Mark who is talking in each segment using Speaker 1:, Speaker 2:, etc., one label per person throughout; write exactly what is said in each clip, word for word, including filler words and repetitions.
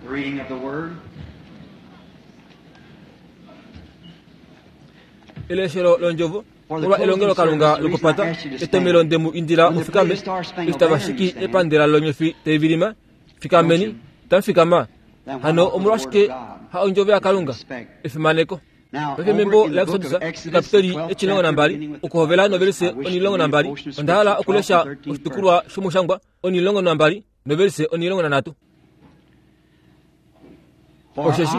Speaker 1: The reading of the word.
Speaker 2: Eleshelo londjovo molwa elongelokalunga lokupata etomelo ndemu indila mufikame eshi tava shiki epandela lonyofi taivilima fikameni tamufikama hano omolwashike ha ondjovo yaKalunga efimaneko. Paife membo laExodus ekapiteli etimulongo nambali okuhovela novelise onimulongo nambali onda hala okulesha oshitukulwa shomushangwa onimulongo nambali novelise onimulongo nanhatu. Osheshi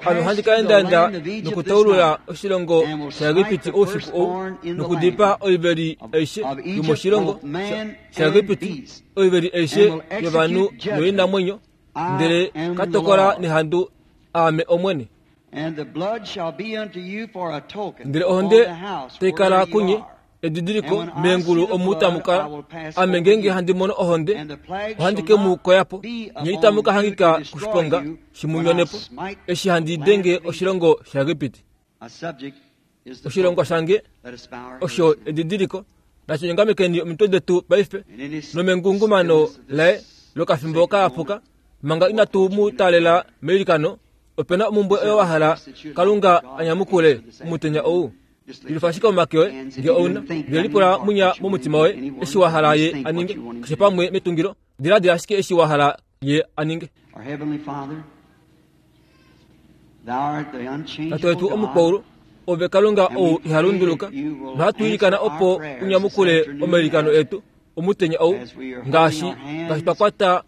Speaker 2: ame ohandi ka endaenda nokutaulula oshilongo shaEgipiti oufiku ou nokudipaa oiveli aishe yomoshilongo shaEgipiti, oiveli aishe yovanhu noinamwenyo, ndele ka tokola nehandu aame Omwene. Ndele ohonde tai kala kunye edidiliko meengulu omu tamu kala. Ame ngeenge handi mono ohonde, ohandi ke mu koya po, nye itamu ka hangika koshiponga shi mu nyone po, eshi handi denge oshilongo shaEgipiti. Oshilongo shange osho edidiliko. Natu nyongamekeni omitwe detu paife nomengungumano laye lokafimbo kahapuka, manga inatu mu taalela meilikano. Opena omumbwe oyo wa hala Kalunga anyamukule omutenya ou. Lilufa ashike omake oye nge ouna, ndele lipula munya momutima woye eshi wa hala ye aninge, keshe pamwe metungilo, diladila ashike eshi wa hala ye aninge. Tate wetu omukwaulu, ove Kalunga ou iha lunduluka, nohatu ilikana opo unyamukule omailikano etu omutenya ou, ngaashi ngaashi twa kwata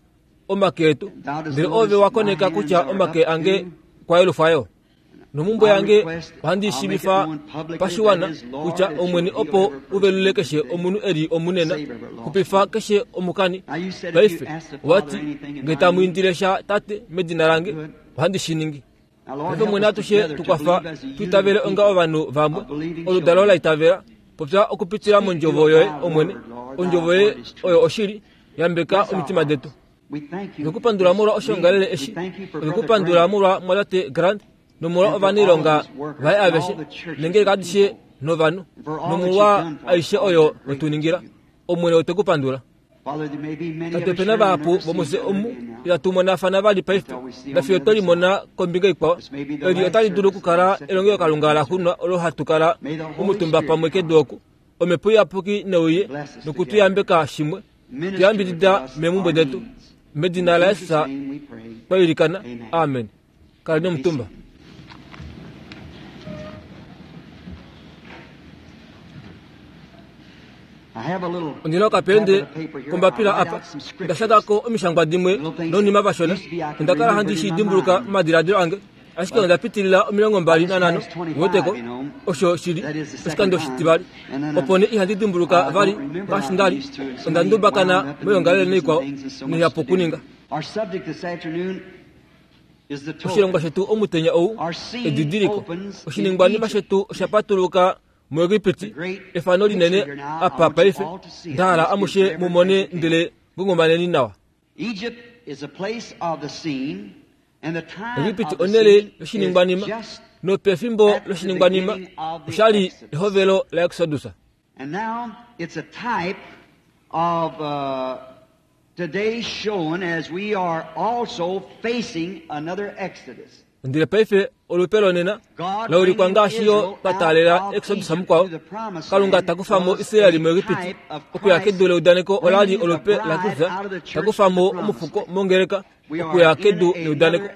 Speaker 2: omake etu, ndele ove wa koneka kutya omake ange kwa yelufa Nomumbwe yange ohandi shiivifa pashiwana kutya Omwene opo uvelule keshe omunhu eli omunena, xupifa keshe omukani. Paife owati nge tamu indile sha Tate medina lange, ohandi shi ningi. Paife Omwene atushe tukwafa tuitavele onga ovanhu vamwe, oludalo la itavela. Popya okupitila mondjovo yoye Omwene, ondjovo yoye oyo oshili, yambeka omitima detu. Otwekupandula molwa oshiongalele eshi, otwekupandula molwa Mwatate Grant nomolwa ovanailonga vaye aveshe, neengeleka adishe novanhu, nomolwa aishe oyo wetuningila. Omwene otwekupandula. Tate opena vahapu vomufye omu itatu monafana vali paife, nafiyo twe limona kombinga ikwao. Eli otali dulu okukala elongelokalunga laxunwa olo hatu kala omutumba pamwe kedu oku. Omhepo Iyapuki neuye nokutuyambeka shimwe, tuyambidida meemhumbwe detu. Medina laJesus twa ilikana, amen. Kaleni omutumba. Ondina okapende kombapila apa, onda shangako omishangwa dimwe nounima vashona. Onda kala handi shi dimbuluka momadiladilo ange, ashike onda pitilila omilongo mbali nanhano uweteko, osho shili oshikando shitivali. Opo nee ihandi dimbuluka vali ngaashi ndali, onda ndubakana moyoongalele naikwao noihapu okuninga. Oshilongwa shetu omutenya ou edidiliko. Oshiningwanima shetu osha patuluka muEgipiti, efano linene apa paife nda hala amushe mu mone ndele ngungumaneni nawa. Egipiti onhele yoshiningwanima, nopefimbo loshiningwanima oshali ehovelo laExodus. Ndele paife olupe lonena laulikwa ngaashi yo twa taalela Exodus mukwao. Kalunga ta kufa mo Israel muEgipiti okuya kedu leudaneko olali olupe laKristus ta kufa mo omufuko mongeleka okuya kedu leudaneko.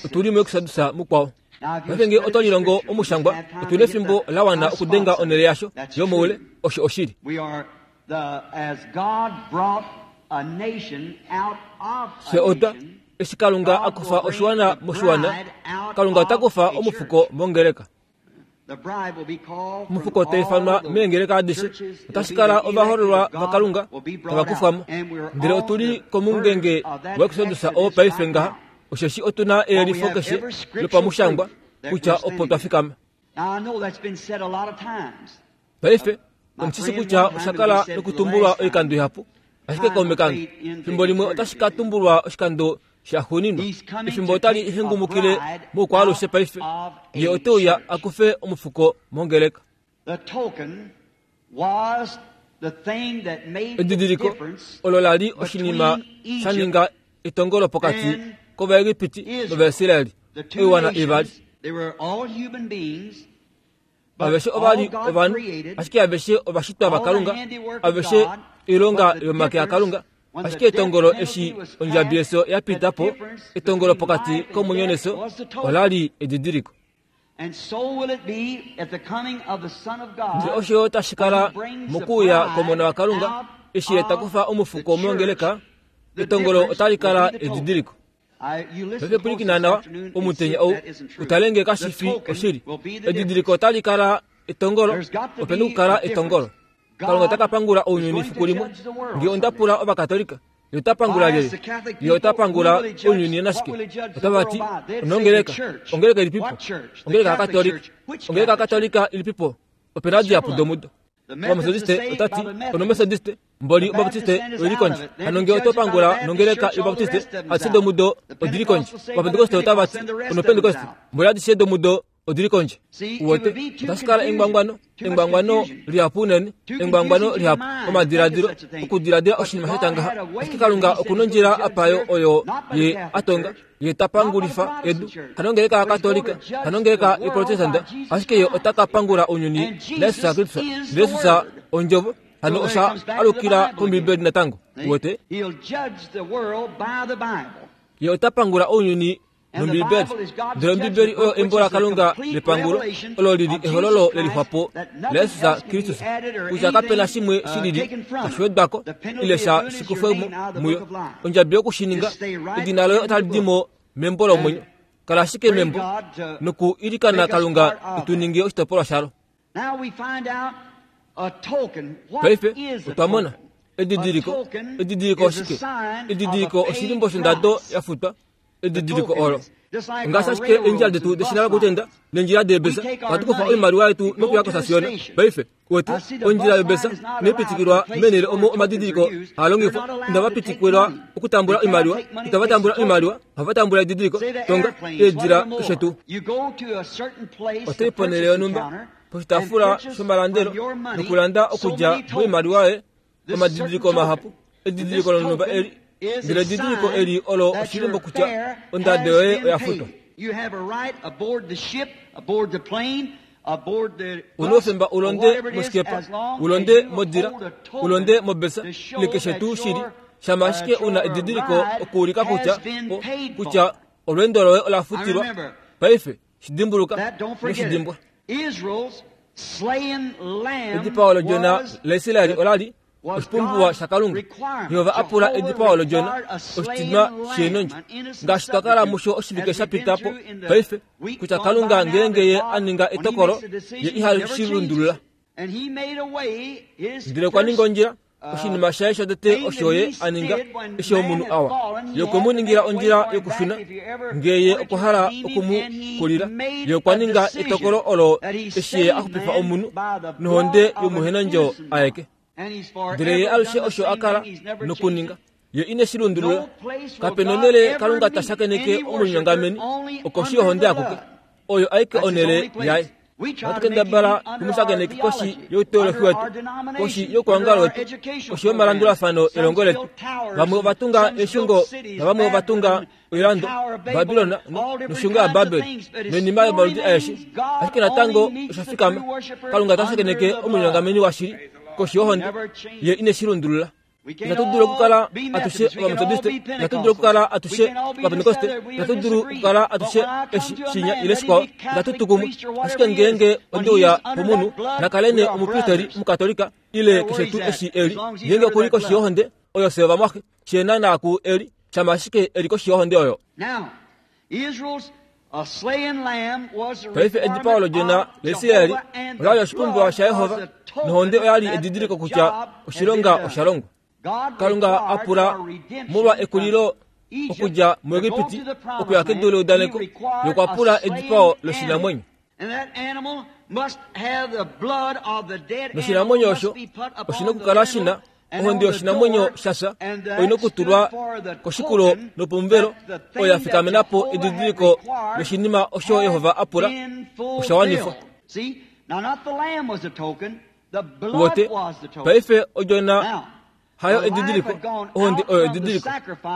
Speaker 2: Otuli muExodus mukwao. Paife nge oto lilongo omushangwa, otuna efimbo la wana okudenga onhele yasho yomoule. Osho oshili. Fye otwa eshi Kalunga a kufa oshiwana moshiwana, Kalunga ota kufa omufuko mongeleka. Omufuko ta ifanwa meengeleka adishe, otashi kala ovahoololwa vaKalunga tava kufwa mo. Ndele otu li komungenge waExodus oo paife ngaha, osheshi otu na eyelifo keshe lopamushangwa kutya opo twa fikama. Paife omushi kutya osha kala nokutumbulwa oikando ihapu, ashike kaume kange, fimbo limwe otashi ka tumbulwa oshikando shaxuuninwa. Efimbo otali hengumukile moukwaalushe paife, ye ote uya a kufe omufuko mongeleka. Edidiliko olo la li oshinima sha ninga etongolo pokati kOvaegipiti nOvaisraeli, oiwana ivali. Aveshe ova li ovanhu, ashike aveshe ovashitwa vaKalunga, aveshe oilonga yomake aKalunga. Ashike etongolo eshi ondjabi yefyo ya pita po, etongolo pokati komwenyo nefyo ola li edidiliko. Ndele osho tashi kala mokuuya kOmona waKalunga, eshi ye ta kufa omufuko mongeleka, etongolo otali kala edidiliko. Paife pwilikina nawa omutenya ou, utale nge kashi fi oshili. Edidiliko otali kala etongolo, ope na okukala etongolo. Kalunga ota ka pangula ounyuni fiku limwe. Nge onda pula Ovakatolika, ye ota pangula lyelye? Ye ota pangula ounyuni nashike? Otava ti, onongeleka. Ongeleka ilipipo? Ongeleka yaKatolika. Ongeleka yaKatolika ilipipo? Ope na dihapu domudo. Ovametodiste ota ti, onometodiste, mboli Obaptiste oili kondje. Hano nge oto pangula nongeleka yObaptiste, adishe domudo odili kondje. Ovapentekoste otava ti, onopentekoste, mboli adishe domudo odili kondje. Uwete, otashi kala engwangwano, engwangwano lihapu unene, engwangwano lihapu, omadiladilo, okudiladila oshinima sha ngaha. Ashike Kalunga okuna ondjila apayo oyo ye atonga, ye ta pangulifa edu. Hanongeleka yaKatolika, hanongeleka yoProtestanta, ashike ye ota ka pangula ounyuni naJesus Kristus. Jesus ondjovo, hano osha alukila kOmbibeli natango. Uwete, ye ota pangula ounyuni nOmbibeli. Ndele Ombibeli oyo embo laKalunga lepangulo, olo lili ehololo lelixwapo laJesus Kristus, kutya kapena shimwe shilili tashi wedwako ile sha shikufwemo muyo. Ondjabi yokushininga, edina loye otali di mo membo lomwenyo. Kala ashike membo noku ilikana Kalunga etu ninge oshitopolwa shalo. Paife otwa mona edidiliko. Edidiliko oshike? Edidiliko oshilimbo shondado ya futwa. Edidiliko olo ngaashi ashike eendjila detu deshina lokutenda neendjila deebesa, ohatu kufa oimaliwa yetu nokuya kosasiona. Paife wetu ondjila yobesa inaipitikilwa meenhele omo omadidiliko haa longifwa. Inava pitikilwa okutambula oimaliwa, itava tambula oimaliwa, ohava tambula edidiliko. Tonga eedila keshe tuu. Otai ponhele yonhumba poshitaafula shomalandelo nokulanda okudja moimaliwa yoye omadidiliko mahapu. Edidiliko lonhumba eli, ndele edidiliko eli olo oshilimbo kutya ondado yoye oya futwa. Una oufemba ulonde mosikepa, ulonde modila, ulonde mobesa, ile keshe tuu shili, shama ashike una edidiliko okuulika kutya kutya olweendo loye ola futilwa. Paife shidimbuluka noshidimbwa. Edipao lodjona laIsraeli olali oshipumbiwa shaKalunga. Jehova a pula edipao lodjona oshitinwa sheenondjo, ngaashi twa kala musho oshivike sha pita po. Paife kutya Kalunga ngeenge ye a ninga etokolo, ye iha shi lundulula. Ndele okwa ninga ondjila, oshinima shaye shotete osho ye a ninga eshi omunhu awa. Ye okwe mu ningila ondjila yokushuna ngee ye okwa hala okumu kulila. Ye okwa ninga etokolo olo eshi ye a xupifa omunhu nohonde yomuhenandjo aeke. Ndele ye alushe osho a kala nokuninga, ye ine shi lundulula. Kape nonhele Kalunga ta shakeneke omunyongameni okoshi yohonde akuke, oyo aike onhele yaye. Ohatu kendabala tumushakeneke koshi youteolohi wetu, koshi youkwangalo wetu, koshi yomalandulafano elongo letu. Vamwe ova tunga eeshungo navamwe ova tunga oilando, Babilona noshungo yaBabel noinima yomaludi aeshe, ashike natango osha fikama. Kalunga ta shakeneke omunyongameni washili koshi yohonde, ye ine shi lundulula. Itatu dulu okukala atushe Ovametodiste, itatu dulu okukala atushe Ovapentekoste, itatu dulu okukala atushe eshi shinya ile shikwao, itatu tu kumwe. Ashike ngeenge onde uya pomunhu, nakale nee omupristeri Omukatolika ile keshe tuu eshi eli, ngeenge okuli koshi yohonde oyo fye ovamwaxe, she naanaa ku eli, shama ashike eli koshi yohonde oyo. Paife edipao lodjona laIsraeli olali oshipumbiwa shaJehova, nohonde oyali edidiliko kutya oshilonga osha longwa. Kalunga a pula molwa ekulilo okudja muEgipiti okuya kedu leudaneko, nokwa pula edipao loshinamwenyo. Noshinamwenyo osho oshina okukala shina ohonde yoshinamwenyo shafya, oina okutulwa koshikulo nopomuvelo, oyo ya fikamena po edidiliko loshinima osho Jehova a pula osha wanifwa. Uwete, paife odjona Hayo edidiliko, ohonde oyo edidiliko.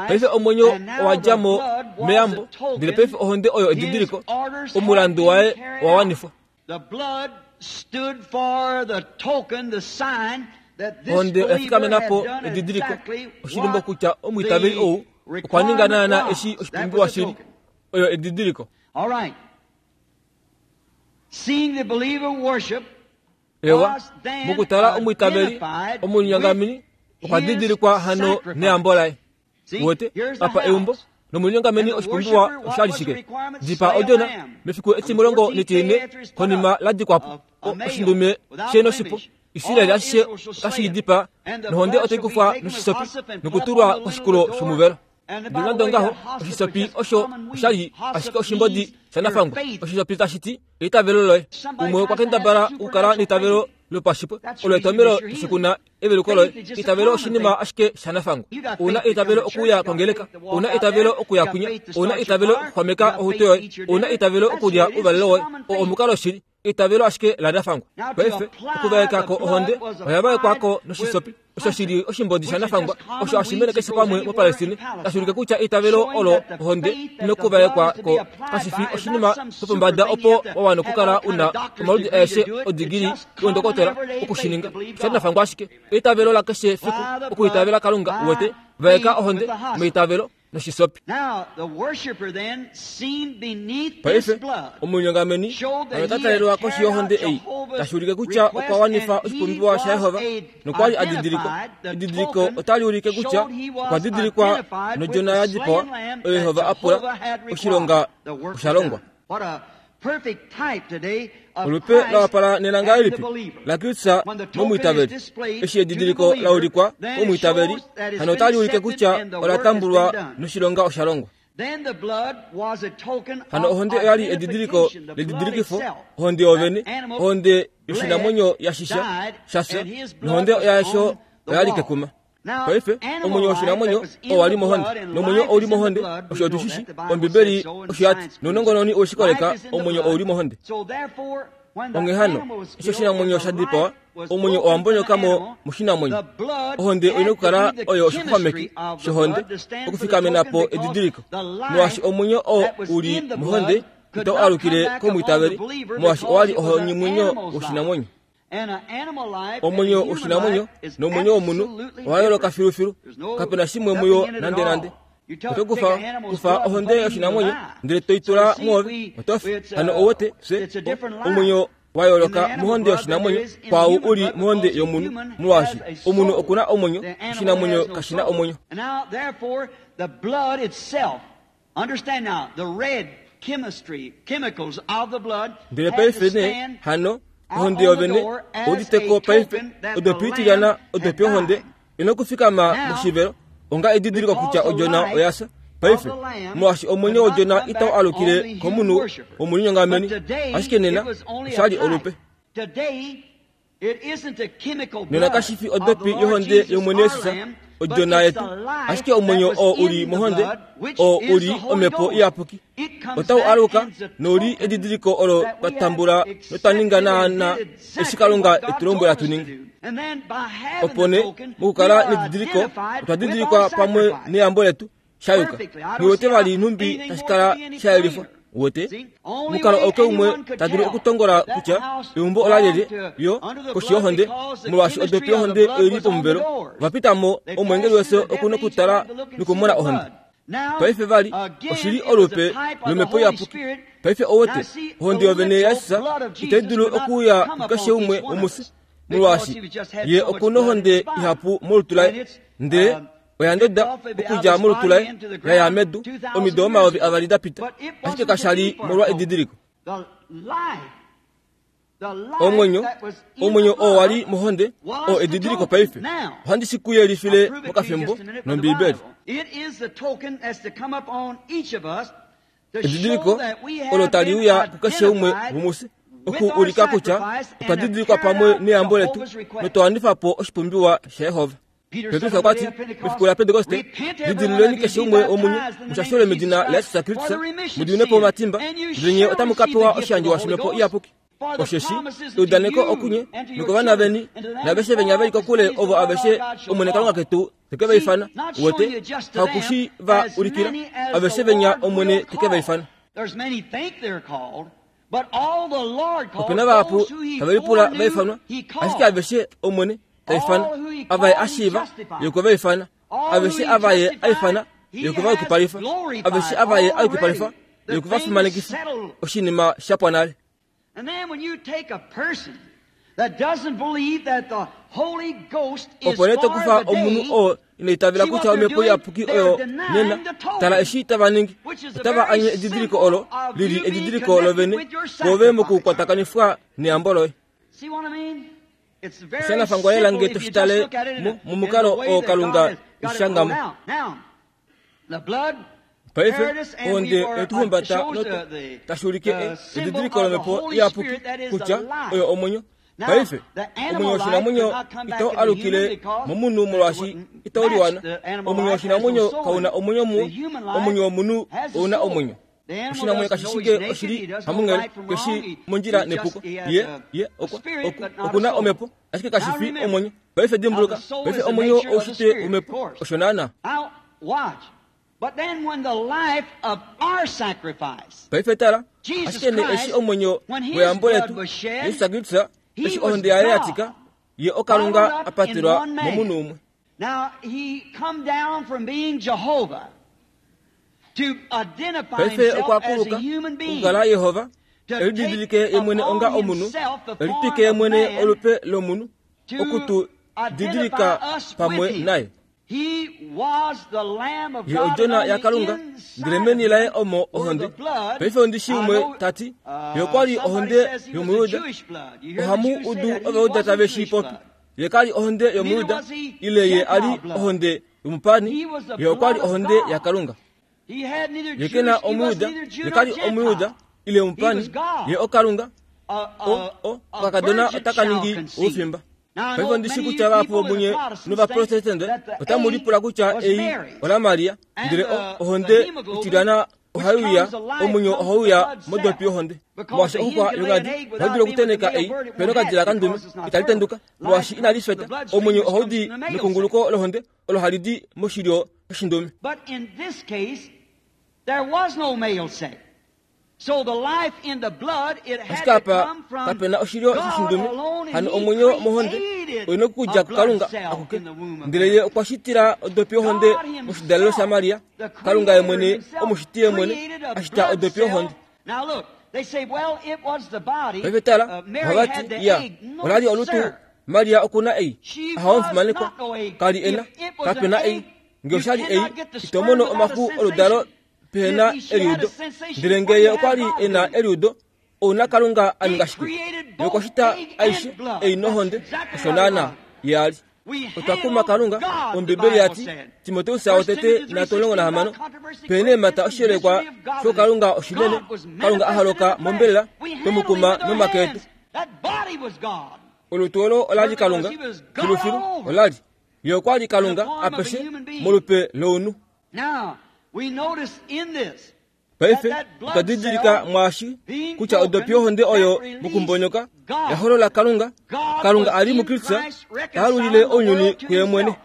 Speaker 2: Paife omwenyo owa dja mo meyambo, ndele paife ohonde oyo edidiliko. Omulandu waye owa wanifwa. Ohonde oya fikamena po edidiliko, oshilimbo kutya omwiitaveli ou okwa ninga naana eshi oshipumbiwa shili. Oyo edidiliko. Ewa, mokutala omwiitaveli omulinyongameni okwa didilikwa hano neyambo laye. Wote apa eumbo nomulinyongameni oshipumbiwa oshali shike? Dipa odjona mefiku etimulongo netine konima la dikwapo oshindume shenoshipo. Israeli ashishe otashi dipa nohonde otai kufwa noshisopi nokutulwa koshikulo shomuvelo. Ndele nande ongaho, oshisopi osho oshali ashike oshimbodi shanafangwa. Oshisopi tashi ti eitavelo loye. Umwe okwa kendabala okukala neitavelo lopashipwe, olo etomelo shikuna eveluko loye. Eitavelo oshinima ashike shanafangwa. Una eitavelo okuya kongeleka, una eitavelo okuya kunya, una eitavelo okuxwameka ohuto yoye, una eitavelo okulya ouvalelo woye. O omukalo shili eitavelo ashike lanafangwa. Paife okuvaekako ohonde oya vaekwako noshisopi osho shili oshimbodi shanafangwa, osho hashi mene keshe pamwe moPalestine, tashi ulike kutya eitavelo olo ohonde nokuvaekwa ko kashi fi oshinima shopombada opo wa wana okukala una omaludi aeshe odigili yondokotola okushininga. Shanafangwa ashike eitavelo la keshe fiku okuitavela Kalunga. Uwete, vaeka ohonde meitavelo noshisopi. Paife omulinyongameni ota talelwa koshi yohonde ei, tashi ulike kutya okwa wanifa oshipumbiwa shaJehova nokwali a didilikwa. Edidiliko otali ulike kutya okwa didilikwa nodjona ya dipawa oyo Jehova a pula. Oshilonga osha longwa. Olupe la wapala nena ngahelipi laKristus momwiitaveli. Eshi edidiliko la ulikwa komwiitaveli, hano otali ulike kutya ola tambulwa noshilonga osha longwa. Hano ohonde oyali edidiliko ledidilikifo, ohonde yovene, ohonde yoshinamwenyo ya shisha shafya, nohonde yasho oyali kekuma. Paife omwenyo woshinamwenyo owali mohonde, nomwenyo ouli mohonde, osho otushishi. Ombibeli osho yati, nounongononi oweshikoleka, omwenyo ouli mohonde. Onghee hano, eshi oshinamwenyo sha dipawa, omwenyo owa mbonyoka mo moshinamwenyo. Ohonde oina okukala oyo oshixwameki shohonde okufikamena po edidiliko, molwaashi omwenyo oo uli mohonde itau alukile komwiitaveli, molwaashi owali omwenyo woshinamwenyo. Omwenyo woshinamwenyo nomwenyo womunhu owa yooloka filufilu, kapena shimwe muyo nande nande. Oto kufa kufa ohonde yoshinamwenyo ndele toitula mwoove, oto fi. Hano owote fye omwenyo wa yooloka mohonde yoshinamwenyo kwaau uli mohonde yomunhu, molwaashi omunhu okuna omwenyo, oshinamwenyo kashina omwenyo. Ndele paife nee hano ohonde yovene ouditeko paife odopi itilyana odopi yohonde ina okufikama moshivelo onga edidiliko kutya odjona oyafya. Paife molwaashi omwenyo wodjona itau alukile komunhu womulinyongameni, ashike nena oshali olupe. Nena kashi fi odopi yohonde yOmwene Jesus odjona yetu, ashike omwenyo oo uli mohonde, oo uli omhepo iyapuki, otau aluka nouli edidiliko olo twa tambula notwa ninga naana eshi Kalunga etu lombwela tu ninge. Opo nee mokukala nedidiliko otwa didilikwa pamwe neyambo letu shayuka. Nghiwete vali nhumbi tashi kala sha yelifwa. Uwete, mukalo auke umwe ta dulu okutongola kutya eumbo ola lyelye yo koshi yohonde, molwaashi odopi yohonde oili pomuvelo. Vapita mo omwengeli wefyo okuna okutala nokumona ohonde. Paife vali oshili olupe lomhepo iyapuki. Paife owete ohonde yovene yaJesus itai dulu okuuya kukeshe umwe womufye, molwaashi ye okuna ohonde ihapu molutu laye, ndele oya ndoda okudja molutu laye ya ya medu omido omayovi avali da pita, ashike kasha li molwa edidiliko. Omwenyo, omwenyo oo wali mohonde oo edidiliko paife. Ohandi shi ku yelifile mokafimbo nOmbiibeli. Edidiliko olo tali uya kukeshe umwe womufye oku ulika kutya otwa didilikwa pamwe neyambo letu notwa wanifa po oshipumbiwa shaJehova. Petrus okwa ti mefiku laPentekoste, lidiluleni keshe umwe womunye mushashole medina laJesus Kristus, mudiwinepo omatimba, ndele nye otamu ka pewa oshiyandjiwa shomhepo iyapuki. Osheshi eudaneko okunye nokovana veni naveshe venya veli kokule ovo aveshe Omwene Kalunga ketu teke vaifana. Uwete hakushi va ulikila aveshe venya Omwene teke vaifana. Opena vahapu tavelipula vaifanwa, ashike aveshe Omwene taifana. Avaye ashiiva ye okwe vaifana, aveshe avaye aifana ye okwe vayukipalifa, aveshe avaye ayukipalifa ye okwe vafimanekifa. Oshinima shapwa nale. Opo nee tokufa omunhu oo ina itavela kutya omhepo iyapuki oyo nena, tala eshi tava ningi. Otava anye edidiliko olo lili edidiliko lovene kwoove mokukwatakanifwa neyambo loye. Oshanafangwa lela nge toshitale momukalo oo Kalunga eshishangamo. Paife ohonde oyetuhumbata noto tashi ulike edidiliko lomhepo iyapuki kutya oyo omwenyo. Paife omwenyo woshinamwenyo itau alukile momunhu molwaashi itau liwana. Omwenyo woshinamwenyo kauna omwenyo muwa, omwenyo womunhu ouna omwenyo. Oshinamwenyo kashi shike oshili hamunghele, keshi mondjila nepuko. Ye ye okwa okuna omhepo, ashike kashi fi omwenyo. Paife dimbuluka, paife omwenyo oushitwe womhepo, osho naana. Paife tala, ashike nee eshi omwenyo weyambo letu Yesu Kristus, eshi ohonde yaye yatika, ye oKalunga apatelwa momunhu umwe. Paife okwa kuluka okukala Yehova, elididilike ye mwene onga omunhu, elitwike ye mwene olupe lomunhu, okutu didilika pamwe naye. Ye odjona yaKalunga, ndele meni laye omo ohonde. Paife ondishi umwe tati ye okwali ohonde yOmuyuda. Ohamu udu Ovayuda tave shi popi. Ye kali ohonde yOmuyuda, ile ye ali ohonde yomupani. Ye okwali ohonde yaKalunga. Ye kena Omuyuda, ye kali Omuyuda ile omupani. Ye oKalunga. O o okakadona otaka ningi oufimba. Paife ondishi kutya vahapu vomunye novaprotestante otamu lipula kutya ei ola Maria, ndele ohonde itilyana ohaiuya, omwenyo ohauya modopi yohonde. Molwaashi oxuxwa yongadi ohaidulu okuteneka ei pena okadila kandume, itali tenduka molwaashi inali feta. Omwenyo ohaudi mekunguluko lohonde olo hali di moshilyo shoshindume. Ashike apa kapena oshilyo shoshindume, hano omwenyo mohonde oina okudja kuKalunga akuke. Ndele ye okwa shitila odopi yohonde moshidalelo shaMaria. Kalunga ye mwene, omushiti ye mwene, ashita odopi yohonde. Paife tala, ohavati ya olali olutu Maria okuna ei, ahawo omufimanekwa, kali ena, kapena ei. Nge oshali ei, ito mono omaxu oludalo pehena eliudo. Ndele ngeye okwali ena eliudo, ouna Kalunga aninga shike? Ye okwa shita aishe ei nohonde, osho naana ye ali. Otwa kuma Kalunga, Ombibeli yati, Timoteus wotete nhatu omulongo nahamano, pehena eemhata oshiyelekwa shokalunga oshinene, Kalunga aholoka mombelela, twemukuma nomake etu. Olutu olo olali Kalunga, filufilu olali. Ye okwali Kalunga apeshe molupe lounhu. Paife otwa didilika mwaashi kutya odopi yohonde oyo mokumbonyoka yaholola Kalunga. Kalunga ali muKristus taalulile ounyuni kuye mwene,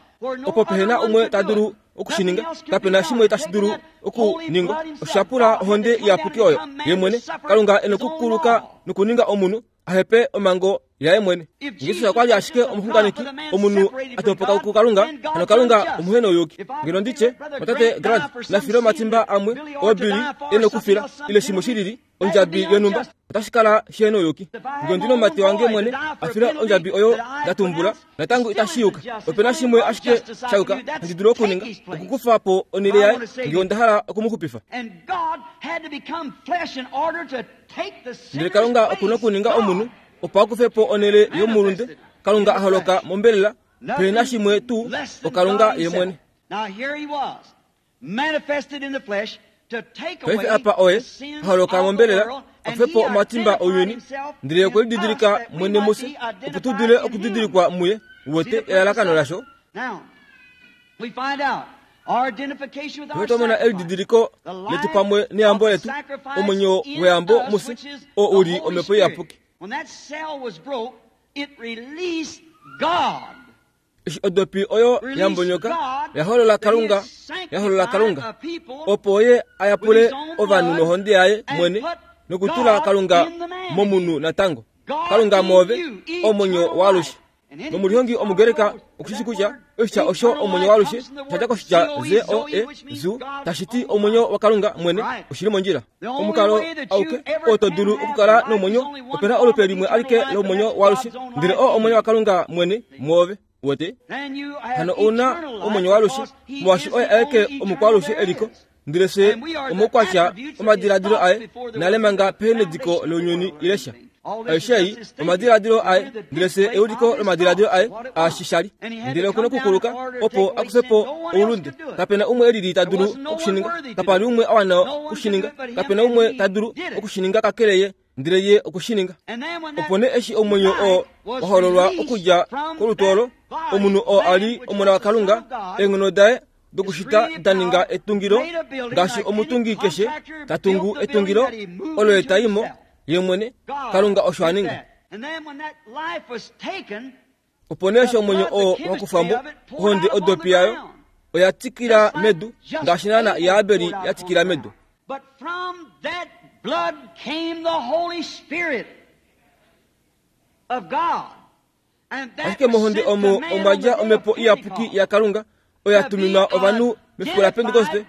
Speaker 2: opo pehena umwe ta dulu okushininga. Kapena shimwe tashi dulu okuningwa. Oshapula ohonde iyapuki oyo ye mwene. Kalunga ena okukuluka nokuninga omunhu ahepe omhango yaye mwene. Jesus okwali ashike omuxunganeki, omunhu atopoka kuKalunga, hano Kalunga omuhenouyuki. Ngeno nditye, Tate Grant nafile omatimba amwe oobili ena okufila, ile shimwe shilili ondjabi yonhumba, otashi kala shihenouyuki. Nge ondina omumati wange mwene afile ondjabi oyo ndatumbula, natango itashi yuka. Opena shimwe ashike shayuka handi dulu okuninga, okukufa po onhele yaye nge onda hala okumuxupifa. Ndele Kalunga okuna okuninga omunhu opo akufe po onhele yomulunde. Kalunga aholoka mombelela, pehena shimwe tuu, oKalunga ye mwene. Paife apa oye aholoka mombelela, akufe po omatimba ounyuni, ndele okwe lididilika mwene mufye, opo tu dule okudidilikwa muye. Uwete elalakano lasho. Otwa mona elididiliko letu pamwe neyambo letu, omwenyo weyambo mufye, oo uli omhepo iyapuki. Eshi odopi oyo yambonyoka yaholola Kalunga, yaholola Kalunga opo ye ayapule ovanhu nohonde yaye mwene nokutula Kalunga momunhu natango. Kalunga moove omwenyo waalushe. Nomulihongi omugereka okushishi kutya oshitya osho omwenyo waalushe shadja koshitya Z O E zu tashi ti omwenyo waKalunga mwene oshili mondjila. Omukalo auke oo to dulu okukala nomwenyo opena olupe limwe alike lomwenyo waalushe ndele oo omwenyo waKalunga mwene mwoove. Wete hano ouna omwenyo waalushe molwaashi oye aeke omukwaalushe eliko ndele fye omukwatya omadiladilo aye nale manga pehenediko lounyuni ilesha. Aishe ei omadiladilo aye ndele fye euliko lomadiladilo aye aashishali ndele okuna okukuluka opo akufe po oulunde. Kapena umwe elili ta dulu okushininga, kapali umwe awana okushininga, kapena umwe ta dulu okushininga kakele ye ndele ye okushininga. Opo nee eshi omwenyo oo wahololwa okudja kolutu olo, omunhu oo ali omona waKalunga, eenghono daye dokushita da ninga etungilo ngaashi omutungi keshe ta tungu etungilo olo ye ta imo ye mwene. Kalunga osho a ninga. Opo nee eshi omwenyo oo wakufwambo ohonde odopi yayo oya tikila medu ngaashi naana yaAbeli ya tikila medu.
Speaker 1: But from that blood came the Holy Spirit of God. And that
Speaker 2: Ashike mohonde omo omwa dja omhepo iyapuki yaKalunga oya tuminwa ovanhu mefiku laPentekoste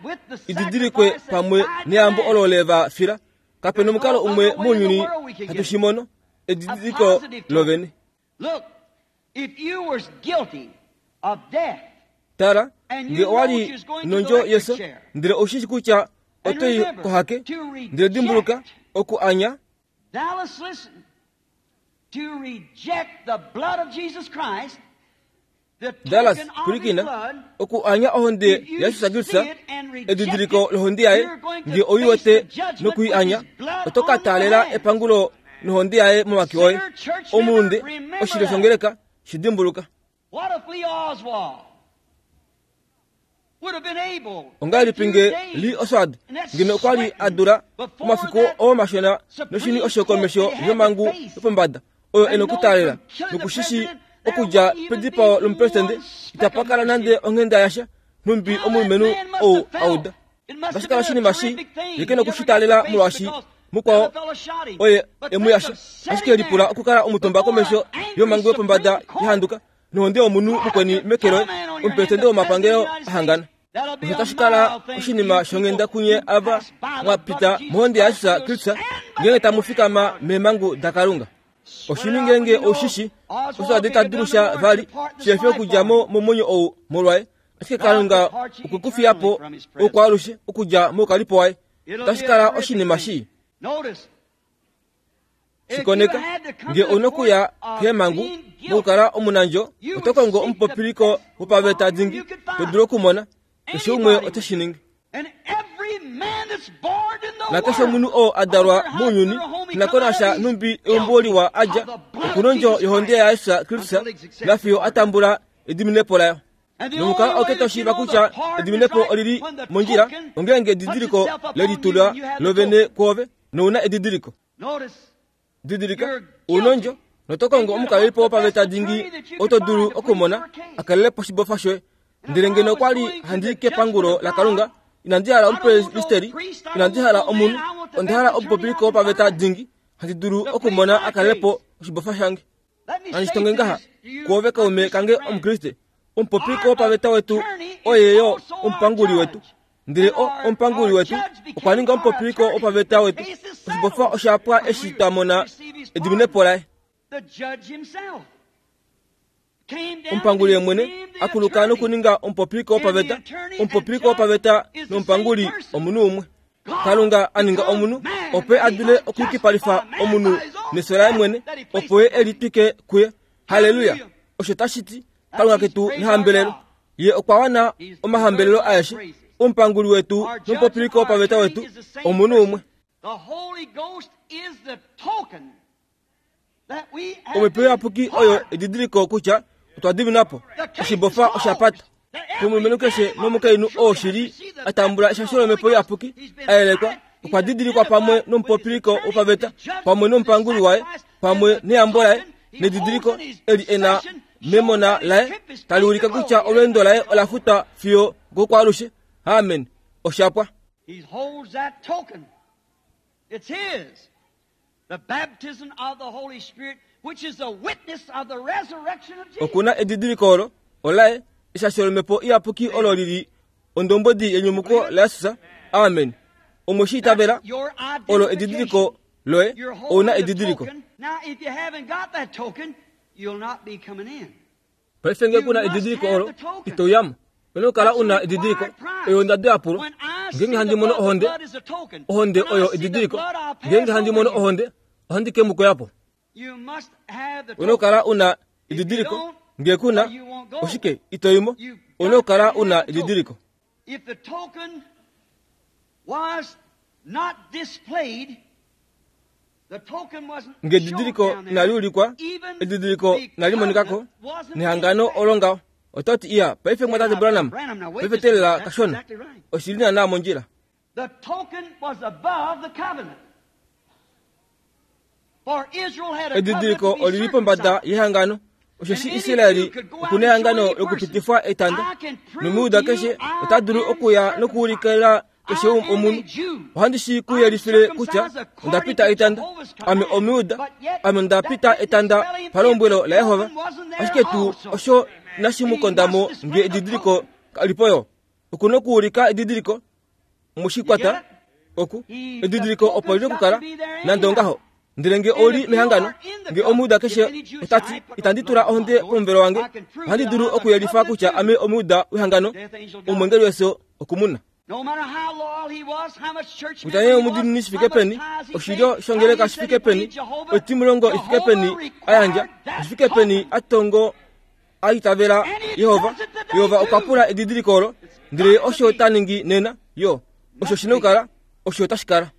Speaker 2: ididilikwe pamwe neyambo olo le va fila. Kapena omukalo umwe mounyuni hatu shi mono edidiliko lovene.
Speaker 1: Look, if you was guilty of death,
Speaker 2: Tala, nge owali nondjo yeso ndele oushi shi kutya otoi kohake ndele dimbuluka oku anya.
Speaker 1: Dallas, listen. To reject the blood of Jesus Christ, the
Speaker 2: Dallas,
Speaker 1: token of his
Speaker 2: pulikina
Speaker 1: blood,
Speaker 2: oku anya ohonde yaJesus Kristus edidiliko lohonde yaye nge oiwete nokui anya oto ka taalela epangulo nohonde yaye momake oye. Omulunde oshilyo shongeleka shidimbuluka.
Speaker 1: What if Lee Oswald would have been able
Speaker 2: Ongahelipi nge Lee Oswald ngeno okwa li a dula omafiku oo mashona noshini osho komesho yomhangu yopombada oyo ena okutaalela nokushishi okudja pedipao lomupresidente itapa kala nande onghenda yasha nhumbi omulumenhu ou auda. Otashi kala oshinima shi ye ke nokushitaalela molwaashi mukwao oye emuyasha ashike lipula okukala omutumba komesho yomhangu yopombada yahanduka nohonde yomunhu mukweni meke loye omupresidente womapangelo ahangana. Osho tashi kala oshinima shonghenda kunye ava mwapita mohonde yaJesus Kristus ngeenge tamu fikama meemhangu daKalunga. Oshini ngeenge oushishi Oswald ta dulu sha vali shefi okudja mo momwenyo ou molwaye, ashike Kalunga okwe ku fiya po oukwaalushe okudja moukalipo waye. Otashi kala oshinima shii. Shikoneka nge ouna okuya keemhangu mokukala omunandjo oto kongo omupopiliko wopaveta dingi to dulu okumona. Keshe umwe ote shi ningi. Nakeshe omunhu oo a dalwa mounyuni inakonasha nhumbi eumbo liwa a dja okuna ondjo yohonde yaJesus Kristus nafiyo a tambula ediminepo layo. Nomukalo auke toshiiva kutya ediminepo olili mondjila ongeenge edidiliko lelitula lovene kwoove nouna edidiliko. Didilika ouna ondjo noto kongo omukalelipo wopaveta dingi oto dulu okumona a kalele po oshibofa shoye. Ndele ngeno okwa li handi kepangulo laKalunga inandi hala omupristeri, inandi hala omunhu, onda hala omupopiliko wopaveta dingi handi dulu okumona a kalele po oshibofa shange. Nandi shitonge ngaha kwoove kaume kange omukriste, omupopiliko wopaveta wetu oye yo omupanguli wetu. Ndele o omupanguli wetu okwa ninga omupopiliko wopaveta wetu. Oshibofa osha pwa eshi twa mona ediminepo laye. Omupanguli ye mwene akuluka nokuninga omupopiliko wopaveta. Omupopiliko wopaveta nomupanguli omunhu umwe. Kalunga a ninga omunhu opo a dule okuyukipalifa omunhu nefyo laye mwene opo ye e litwike kuye. Haleluya! Osho tashi ti Kalunga ketu nehambelelo. Ye okwa wana omahambelelo aeshe. Omupanguli wetu nomupopiliko wopaveta wetu omunhu umwe. Omhepo iyapuki oyo edidiliko kutya otwa diminwa po. Oshibofa osha pata. Komulumenhu keshe nomukainhu oo shili a tambula eshasho lomhepo iyapuki a yelekwa okwa didilikwa pamwe nomupopiliko wopaveta pamwe nomupanguli waye pamwe neyambo laye nedidiliko eli ena memona laye tali ulika kutya olweendo laye ola futwa fiyo gokwaalushe. Amen. Oshapwa.
Speaker 1: He holds that token. It's his. The baptism of the Holy Spirit, which is the witness of the resurrection of Jesus.
Speaker 2: Okuna edidiliko olo olaye eshasho lomhepo iyapuki olo lili ondombodi yenyumuko laYesus. Amen. Omwe shi itavela
Speaker 1: Your
Speaker 2: olo
Speaker 1: identification.
Speaker 2: edidiliko loye
Speaker 1: You're
Speaker 2: ouna
Speaker 1: holding the
Speaker 2: edidiliko.
Speaker 1: token. Now, if you haven't got that token, you'll not be coming in.
Speaker 2: Paife nge kuna edidiliko olo itouyamo. Ona okukala una edidiliko oyo ondado yapulwa.
Speaker 1: When I see
Speaker 2: Ngeenge
Speaker 1: the
Speaker 2: handi mono
Speaker 1: blood, the
Speaker 2: ohonde,
Speaker 1: blood is a token.
Speaker 2: ohonde
Speaker 1: When I
Speaker 2: oyo
Speaker 1: see the
Speaker 2: edidiliko.
Speaker 1: blood, I'll pass
Speaker 2: Ngeenge handi
Speaker 1: over
Speaker 2: mono
Speaker 1: you.
Speaker 2: ohonde, ohandi ke mukoyapo.
Speaker 1: You must have the
Speaker 2: Ona
Speaker 1: token.
Speaker 2: okukala una edidiliko nge kuna oshike itoimo. Ona okukala una edidiliko.
Speaker 1: If the token was not displayed, the token wasn't
Speaker 2: Nge
Speaker 1: shown
Speaker 2: edidiliko
Speaker 1: down there,
Speaker 2: inali ulikwa,
Speaker 1: even
Speaker 2: edidiliko
Speaker 1: the
Speaker 2: inali monikako,
Speaker 1: covenant wasn't
Speaker 2: nehangano
Speaker 1: in effect.
Speaker 2: olo ngaho. Ototi iya, paife mwatate Branham, paife telela kashona, oshili naana mondjila.
Speaker 1: The token was above the covenant. For Israel had a covenant
Speaker 2: Edidiliko
Speaker 1: to be
Speaker 2: olili pombada
Speaker 1: circumcised.
Speaker 2: yehangano. Osheshi Israeli okuna ehangano lokupitifwa etanda, nomujuda keshe ota dulu okuya nokuulikila keshe omunhu. Ohandi shi ku yelifile kutya onda pita etanda, ame omujuda, ame onda pita etanda palombwelo laYehova. Ashike tuu osho inashi mu konda mo nge edidiliko kalipo yo. Okuna okuulika edidiliko mushikwata oku edidiliko opo lina okukala nande ongaho. Ndele nge oli mehangano, nge omujuda keshe otati itandi tula ohonde pomuvelo wange, ohandi dulu okuyelifa kutya ame omujuda wehangano, omwengeli wefyo okumuna.
Speaker 1: No matter how loyal he was, how much church
Speaker 2: Kutya
Speaker 1: member
Speaker 2: nee
Speaker 1: he was,
Speaker 2: omudiinini shi
Speaker 1: how
Speaker 2: fike
Speaker 1: much
Speaker 2: peni,
Speaker 1: tithes he
Speaker 2: oshilyo
Speaker 1: paid,
Speaker 2: shongeleka
Speaker 1: how
Speaker 2: shi
Speaker 1: he
Speaker 2: fike
Speaker 1: said he
Speaker 2: peni,
Speaker 1: believed Jehovah,
Speaker 2: oitimulongo i fike peni
Speaker 1: Jehovah
Speaker 2: a yandja,
Speaker 1: required that
Speaker 2: shi fike peni
Speaker 1: token.
Speaker 2: a tongo a itavela Yehova, Yehova okwa pula edidiliko olo, ndele osho ta ningi nena, yo, osho shina okukala, osho tashi kala.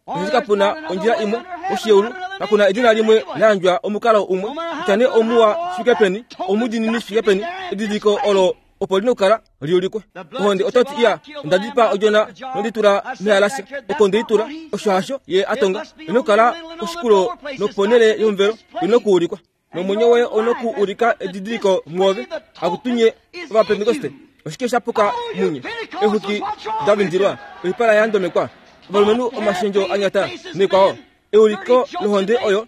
Speaker 2: Osheshi kapuna ondjila imwe oshiyeulu, kakuna edina limwe la yandjwa omukalo umwe, kutya nee omuwa shi fike peni, omudiinini shi fike peni, edidiliko olo opo lina okukala liulikwe. Ohonde ototi iya, onda dipaa odjona nonditula mehalasha, oko ndeitula, osho hasho ye a tonga, ina okukala koshikulo noponhele yomuvelo, ina okuulikwa. Nomwenyo woye ouna okuulika edidiliko mwoove, akutunye ovapentekoste. Oshike sha puka munye? Eexwiki da vindilwa, oipala ya ndomekwa, ovalumenhu omashendjo a nyata nekwao. Euliko lohonde oyo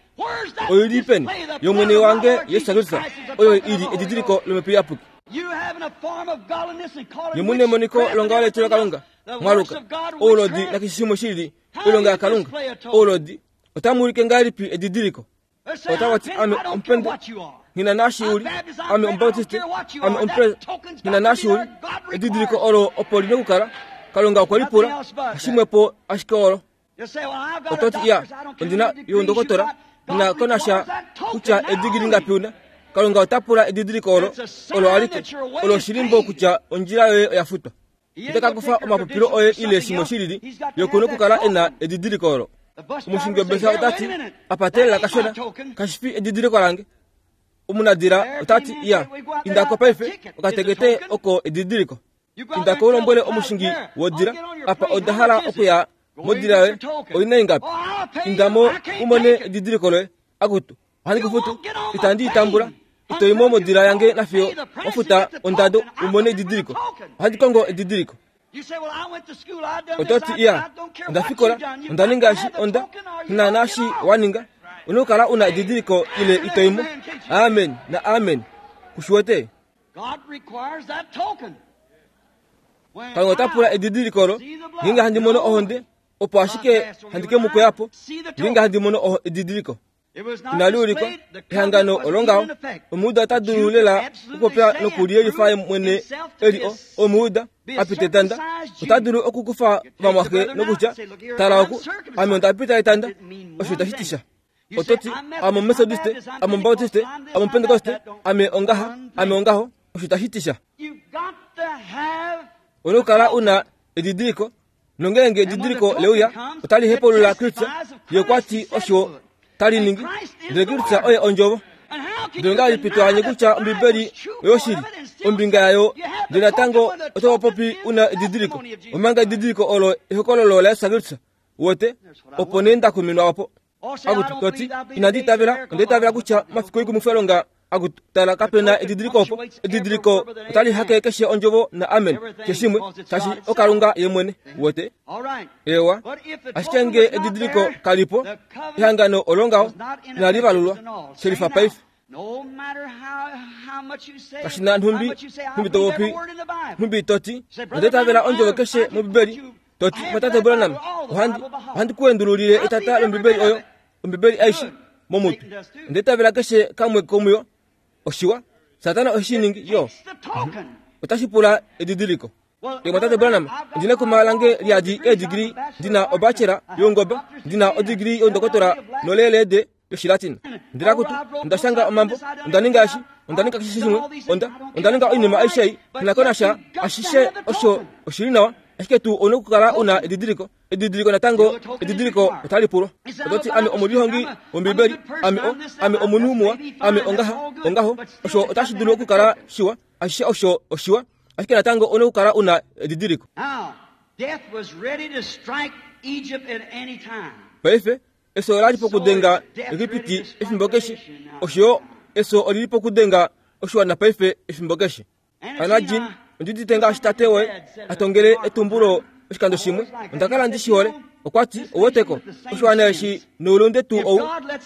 Speaker 2: oili peni yomwene wange Yesu Kristus, oyo ili edidiliko lomhepo iyapuki.
Speaker 1: You having a form of godliness and calling
Speaker 2: Nemune emoniko
Speaker 1: witchcraft
Speaker 2: longaho
Speaker 1: and
Speaker 2: letilo
Speaker 1: everything
Speaker 2: Kalunga
Speaker 1: else, the
Speaker 2: mwaluka
Speaker 1: works of God,
Speaker 2: oulodi
Speaker 1: witchcraft.
Speaker 2: nakeshe shimwe shili oilonga yaKalunga oulodi otamu ulike ngahelipi edidiliko.
Speaker 1: They say,
Speaker 2: Otava
Speaker 1: I'm
Speaker 2: ti
Speaker 1: Pente-
Speaker 2: ame
Speaker 1: I don't care
Speaker 2: omupente
Speaker 1: what you are.
Speaker 2: ngina naashi uli
Speaker 1: I'm Baptist, I'm
Speaker 2: ame
Speaker 1: Pente- I don't
Speaker 2: omubaptiste
Speaker 1: care what you
Speaker 2: ame
Speaker 1: are.
Speaker 2: omupre
Speaker 1: That token's
Speaker 2: ngina
Speaker 1: got to
Speaker 2: naashi
Speaker 1: be
Speaker 2: uli
Speaker 1: there. God
Speaker 2: edidiliko
Speaker 1: requires
Speaker 2: olo opo lina okukala Kalunga okwe lipula
Speaker 1: Nothing else but that.
Speaker 2: hashimwepo ashike olo.
Speaker 1: You say, well, I've got a
Speaker 2: Ototi iya
Speaker 1: doctor's, I don't care
Speaker 2: ondina
Speaker 1: how many degrees you
Speaker 2: youndokotola
Speaker 1: got. God
Speaker 2: ngina konasha
Speaker 1: requires that token
Speaker 2: kutya
Speaker 1: now
Speaker 2: edigili
Speaker 1: only.
Speaker 2: ngapi una. Kalunga ota pula edidiliko olo
Speaker 1: It's a sign
Speaker 2: olo alike
Speaker 1: that your way
Speaker 2: olo
Speaker 1: is
Speaker 2: shilimbo
Speaker 1: paid.
Speaker 2: kutya ondjila yoye oya futwa.
Speaker 1: He
Speaker 2: Ite
Speaker 1: ain't
Speaker 2: ka
Speaker 1: gonna
Speaker 2: kufa
Speaker 1: take your
Speaker 2: omapopilo
Speaker 1: credentials
Speaker 2: oye
Speaker 1: for
Speaker 2: ile
Speaker 1: something
Speaker 2: shimwe
Speaker 1: else.
Speaker 2: shilili
Speaker 1: He's got to
Speaker 2: yokuna
Speaker 1: have that
Speaker 2: okukala ena
Speaker 1: token.
Speaker 2: edidiliko olo.
Speaker 1: The bus
Speaker 2: Omushingi
Speaker 1: driver
Speaker 2: wobesa
Speaker 1: say, "Here,
Speaker 2: otati
Speaker 1: wait a minute.
Speaker 2: apatelela
Speaker 1: That ain't my
Speaker 2: kashona
Speaker 1: token."
Speaker 2: kashifi edidiliko lange. Omunadila otati iya indako paife okatekete oko edidiliko.
Speaker 1: You go out
Speaker 2: Indako
Speaker 1: there and
Speaker 2: ulombwele
Speaker 1: tell the
Speaker 2: omushingi
Speaker 1: pilot there,
Speaker 2: wodila
Speaker 1: I'll get on your
Speaker 2: apa
Speaker 1: plane.
Speaker 2: oda
Speaker 1: How
Speaker 2: hala
Speaker 1: much is it?
Speaker 2: okuya
Speaker 1: Go
Speaker 2: modila
Speaker 1: and
Speaker 2: yoye
Speaker 1: get your token.
Speaker 2: oina ingapi.
Speaker 1: Oh, I'll pay you.
Speaker 2: Indamo
Speaker 1: I can't
Speaker 2: umone
Speaker 1: take it.
Speaker 2: edidiliko loye akutu ohandi
Speaker 1: You
Speaker 2: kufutu
Speaker 1: won't get on my
Speaker 2: itandi itambula
Speaker 1: plane
Speaker 2: itoimo
Speaker 1: until
Speaker 2: modila
Speaker 1: you
Speaker 2: yange
Speaker 1: pay
Speaker 2: nafiyo
Speaker 1: the price
Speaker 2: wafuta
Speaker 1: to get the
Speaker 2: ondado
Speaker 1: token. I'm
Speaker 2: umone
Speaker 1: looking for the
Speaker 2: edidiliko.
Speaker 1: token.
Speaker 2: Ohandi kongo edidiliko.
Speaker 1: You say, well, I went to school, I done this,
Speaker 2: Ototi
Speaker 1: I,
Speaker 2: iya
Speaker 1: I don't care
Speaker 2: onda
Speaker 1: what
Speaker 2: fikola
Speaker 1: you done. You
Speaker 2: onda
Speaker 1: got to
Speaker 2: ninga eshi
Speaker 1: have the
Speaker 2: onda
Speaker 1: token or you
Speaker 2: na
Speaker 1: don't get
Speaker 2: naashi
Speaker 1: off.
Speaker 2: waninga una okukala una edidiliko ile itoimo. Amen na amen. Kushiwete
Speaker 1: God requires that token. When
Speaker 2: Kalunga ota pula
Speaker 1: I
Speaker 2: edidiliko olo
Speaker 1: see the blood,
Speaker 2: ngeenge handi mono ohonde opo ashike
Speaker 1: my
Speaker 2: handi ke mu koyapo
Speaker 1: See the
Speaker 2: ngeenge
Speaker 1: token.
Speaker 2: handi mono oho- edidiliko.
Speaker 1: It was not
Speaker 2: Inali ulikwa
Speaker 1: displayed, the
Speaker 2: ehangano
Speaker 1: covenant wasn't
Speaker 2: olongaho
Speaker 1: even in effect.
Speaker 2: omujuda ota
Speaker 1: The Jew
Speaker 2: dulu
Speaker 1: could
Speaker 2: lela
Speaker 1: absolutely
Speaker 2: okupopya
Speaker 1: say and
Speaker 2: nokuliyelifa
Speaker 1: prove
Speaker 2: mwene
Speaker 1: himself to
Speaker 2: eli
Speaker 1: be a
Speaker 2: o omujuda
Speaker 1: be a
Speaker 2: a pita etanda
Speaker 1: circumcised Jew.
Speaker 2: ota dulu okukufa
Speaker 1: You take the
Speaker 2: vamwaxe
Speaker 1: brother now
Speaker 2: nokutya
Speaker 1: and say, look here,
Speaker 2: tala
Speaker 1: I'm
Speaker 2: oku
Speaker 1: circumcised.
Speaker 2: ame onda pita etanda
Speaker 1: That didn't mean
Speaker 2: osho
Speaker 1: one
Speaker 2: itashi ti sha.
Speaker 1: thing. You say,
Speaker 2: Ototi
Speaker 1: I'm
Speaker 2: ame
Speaker 1: Methodist, I'm
Speaker 2: omethodiste
Speaker 1: Baptist, I'm
Speaker 2: ame omubaptiste
Speaker 1: Pentecostal, I'm this,
Speaker 2: ame
Speaker 1: I'm that.
Speaker 2: omupentekoste
Speaker 1: That don't
Speaker 2: ame
Speaker 1: mean
Speaker 2: ongaha
Speaker 1: one
Speaker 2: ame
Speaker 1: thing.
Speaker 2: ongaho osho itashi ti sha.
Speaker 1: You've got to have
Speaker 2: Ona
Speaker 1: the
Speaker 2: okukala
Speaker 1: token.
Speaker 2: una edidiliko nongeenge
Speaker 1: And when the
Speaker 2: edidiliko
Speaker 1: token
Speaker 2: leuya
Speaker 1: comes,
Speaker 2: otali
Speaker 1: it
Speaker 2: hepulula Kristus
Speaker 1: testifies of
Speaker 2: ye okwa
Speaker 1: Christ
Speaker 2: ti
Speaker 1: who said
Speaker 2: osho
Speaker 1: to it.
Speaker 2: tali
Speaker 1: And
Speaker 2: ningi
Speaker 1: Christ is
Speaker 2: ndele
Speaker 1: the
Speaker 2: Kristus
Speaker 1: Word.
Speaker 2: oye ondjovo.
Speaker 1: And how can
Speaker 2: Ndele
Speaker 1: you
Speaker 2: ngahelipi
Speaker 1: deny
Speaker 2: to anye
Speaker 1: that
Speaker 2: kutya
Speaker 1: the
Speaker 2: Ombibeli
Speaker 1: Bible is true
Speaker 2: oyo
Speaker 1: part
Speaker 2: shili
Speaker 1: of it and still
Speaker 2: ombinga
Speaker 1: say
Speaker 2: yayo
Speaker 1: you have
Speaker 2: ndele
Speaker 1: the token
Speaker 2: natango
Speaker 1: when the
Speaker 2: oto
Speaker 1: token
Speaker 2: popi
Speaker 1: is
Speaker 2: una
Speaker 1: the
Speaker 2: edidiliko
Speaker 1: testimony of Jesus
Speaker 2: omanga
Speaker 1: Christ?
Speaker 2: edidiliko olo ehokololo laYesu Kristus wote
Speaker 1: That's what I
Speaker 2: opo
Speaker 1: want.
Speaker 2: nee nda kuminwa opo. Akutu toti inandi itavela, onda itavela kutya mafiku oikumwifilonga akutu tala kapena edidiliko opo. Edidiliko otali hake keshe ondjovo na amen keshimwe shashi okalunga ye mwene wote. Ewa ashike nge edidiliko kalipo ehangano olongaho inali valulwa shelifa paife. Kashina nhumbi nhumbi topopi nhumbi toti onda itavela ondjovo keshe mOmbibeli toti mwatate Branham ohandi ohandi kuendululile etata lOmbibeli oyo Ombibeli aishe momutu onda itavela keshe kamwe komuyo oshiwa. Satana oshiningi yo otashi pula edidiliko. Mwatate Branham ndina kumalange liadi edigiri ndina obachela yongoba ndina odigiri yondokotora nolelede yoshilatin ndira kutu ndashanga omambo ndaninga ashi ndaninga keshe shimwe onda ndaninga oinima aishe nakonasha ashishe osho oshili nawa ashike tu ono kukala una edidiliko edidiliko natango edidiliko otalipulwa ototi ame omulihongi wombibeli ame o ame omunhu muwa ame ongaha ongaho osho otashi dulu okukala shiwa ashishe osho oshiwa ashike natango ono kukala una edidiliko. Paife eso olali pokudenga Egipiti efimbo keshe osho eso olili pokudenga oshiwana paife efimbo keshe. Anajin ondidite ngaashi tate woye atongele etumbulo oshikando shimwe ondakala ndishihole okwati oweteko oshiwana eshi noulunde tuu ou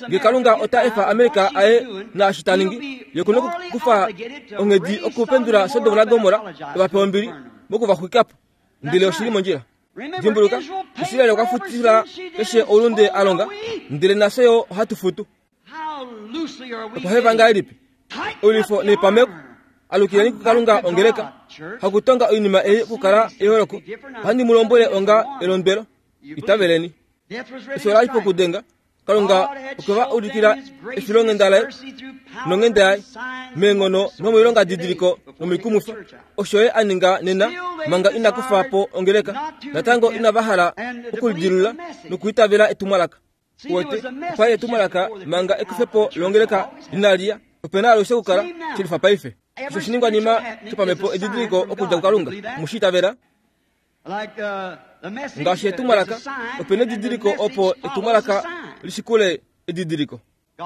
Speaker 2: nge Kalunga ota efa Amerika aye naashi taningi ye kuna kufa onghedi okupendula Sodom naGomora evape ombili mokuvaxwikapo ndele oshili mondjila. Dimbuluka Israel okwa futila keshe oulunde alonga ndele nafye yo ohatu futu. Otwa heva ngahelipi oilwifo neipameko alukileni kuKalunga ongeleka hakutonga oinima ei okukala eholoko ohandi mu lombwele onga elondwelo itaveleni. Efyo olali pokudenga Kalunga okwe va ulikila efilonghenda laye nonghenda yaye meenghono nomoilonga didiliko nomikumwifa osho ye a ninga nena manga ina kufa po ongeleka natango inava hala okulidilula nokuitavela etumwalaka. Wete opa etumwalaka manga ekufepo longeleka linalia opena alushe okukala shilifa paife. Osho shiningwanima shopamepo edidiliko okudja kuKalunga mushitavela ngaashi etumwalaka opena edidiliko opo etumwalaka lishikule edidiliko.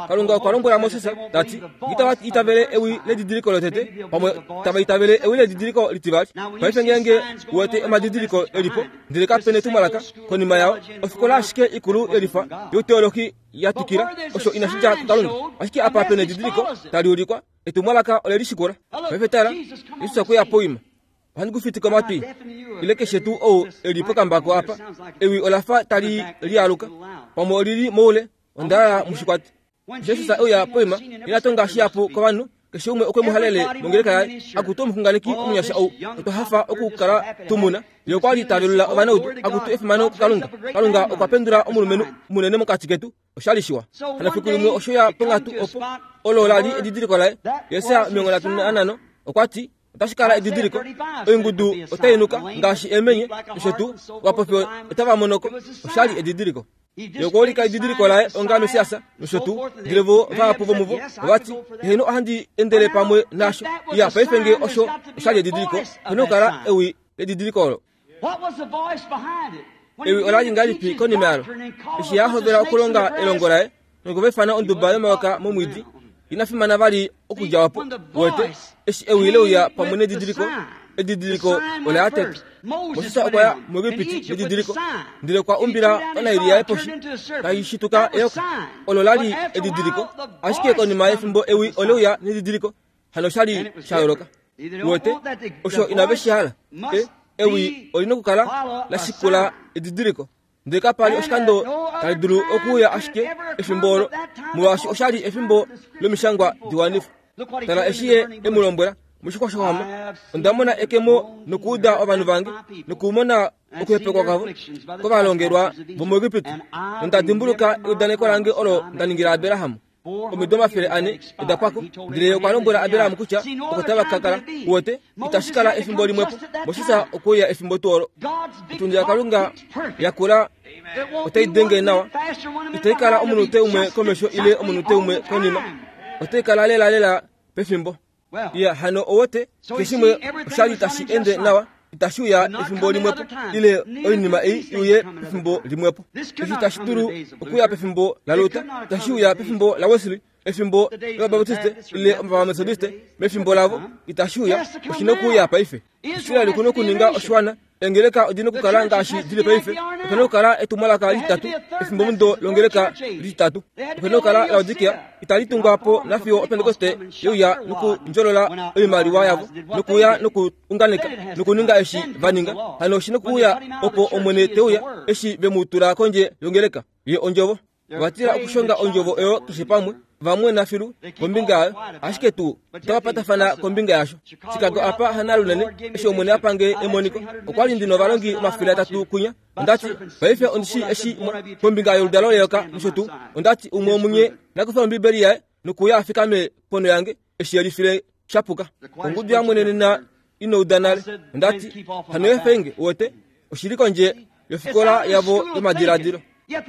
Speaker 2: Kalunga okwa lombwela Moses tati itava itavele ewi ledidiliko lotete pamwe tava itavele ewi ledidiliko litivali. Paife ngeenge uwete omadidiliko elipo ndele kapena etumwalaka konima yao ofikola ashike ikulu yelifa yoteolohi ya twikila osho inashi dja kuKalunga ashike apa pena edidiliko tali ulikwa etumwalaka olelishikula. Paife tala Jesus okweya poima ohandi kufitika omatwi ile keshe tuu ou elipo kambako apa ewi olafa tali lialuka pamwe olili moule ondalala mushikwati. Jesus euya poima inatonga shihapu kovanhu keshe umwe okwe mu halele mongeleka yaye akutu omuxunganeki omunyasha ou otwa hafa okukala tumuna ye okwa li tavelula ovanaudu akutu efimano kuKalunga. Kalunga okwa pendula omulumenhu munene mokati ketu oshali shiwa. Hano fiku limwe osho ya ponghatu opo olo lali edidiliko laye Yesaja omilongo nhatu nanhano okwati otashi kala edidiliko oingudu otainuka ngaashi emenye osho tuu ovapofi otava monoko oshali edidiliko. Ye okwa ulika edidiliko laye onga Mesiasa nosho tuu ndele vo vahapu vomuvo ovati eheno ohandi endele pamwe nasho iya paife nge osho oshali edidiliko opena okukala ewi ledidiliko olo. Ewi olali ngahelipi konima yalo eshi yahovela okulonga elongo laye nokuvaifana onduba yomayoka momwiidi ina fimana vali okudja wapo wete eshi ewi leuya pamwe nedidiliko edidiliko ola tete. Moses okwa ya muEgipiti nedidiliko ndele kwa umbila onaili yaye poshi tai shituka eyoka olo lali edidiliko ashike konima yefimbo ewi oleuya nedidiliko hano shali sha yooloka wete osho inave shi hala ewi olina okukala la shikula edidiliko ndele kapali oshikando tali dulu okuuya ashike efimbo olo molwaashi oshali efimbo lomishangwa diwanifwa. Tala eshi ye emu lombwela moshixwa shohama onda mona ekemo nokuuda ovanhu vange nokumona okuhepekwa kwavo kovalongelwa vomuEgipiti nonda dimbuluka eudaneko lange olo nda ningila Abraham omido omafele ane oda pwako ndele okwa lombwela Abraham kutya oko tava ka kala uwete itashi kala efimbo limwepo. Moses okweya efimbo tuu olo otundi yaKalunga yakula otai denge nawa itai kala omunute umwe komesho ile omunute umwe konima otai kala lela lela pefimbo. Iya hano owote keshimwe oshali tashi ende nawa Itashi uya efimbo limwepo ile oinima ei iuye pefimbo limwepo. Eshi itashi dulu okuya pefimbo laLuther, itashi uya pefimbo laWesley, efimbo lOvabatiste ile Ovamethodiste, mefimbo lavo itashi uya. Oshina okuuya paife. Israeli kuna okuninga oshiwana. Engeleka odina okukala ngaashi dili paife. Opena okukala etumwalaka litatu efimbo mudo longeleka litatu. Opena okukala Laodikia itali tungwa po nafiyo Opentekoste yeuya nokundjolola oimaliwa yavo nokuuya nokuunganeka nokuninga eshi va ninga. Hano oshina okuuya opo Omwene teuya eshi ve mu tula kondje yongeleka ye ondjovo. Vatila okushonga ondjovo oyo keshe pamwe vamwe nafilu kombinga yayo, ashike tuu otava patafana kombinga yasho. Chicago apa hanalunene eshi Omwene apange emoniko okwa li ndina ovalongi omafele atatu kunya. Ondati paife ondishi eshi kombinga yoludalo leyoka nosho tuu. Ondati umwe omunye nakufa Ombibeli yaye nokuya afikame pono yange eshi yelifile shapuka. Ongudu yamwenenena inouda nale. Ondati hano efenge uwete oshili kondje yofikola yavo yomadiladilo.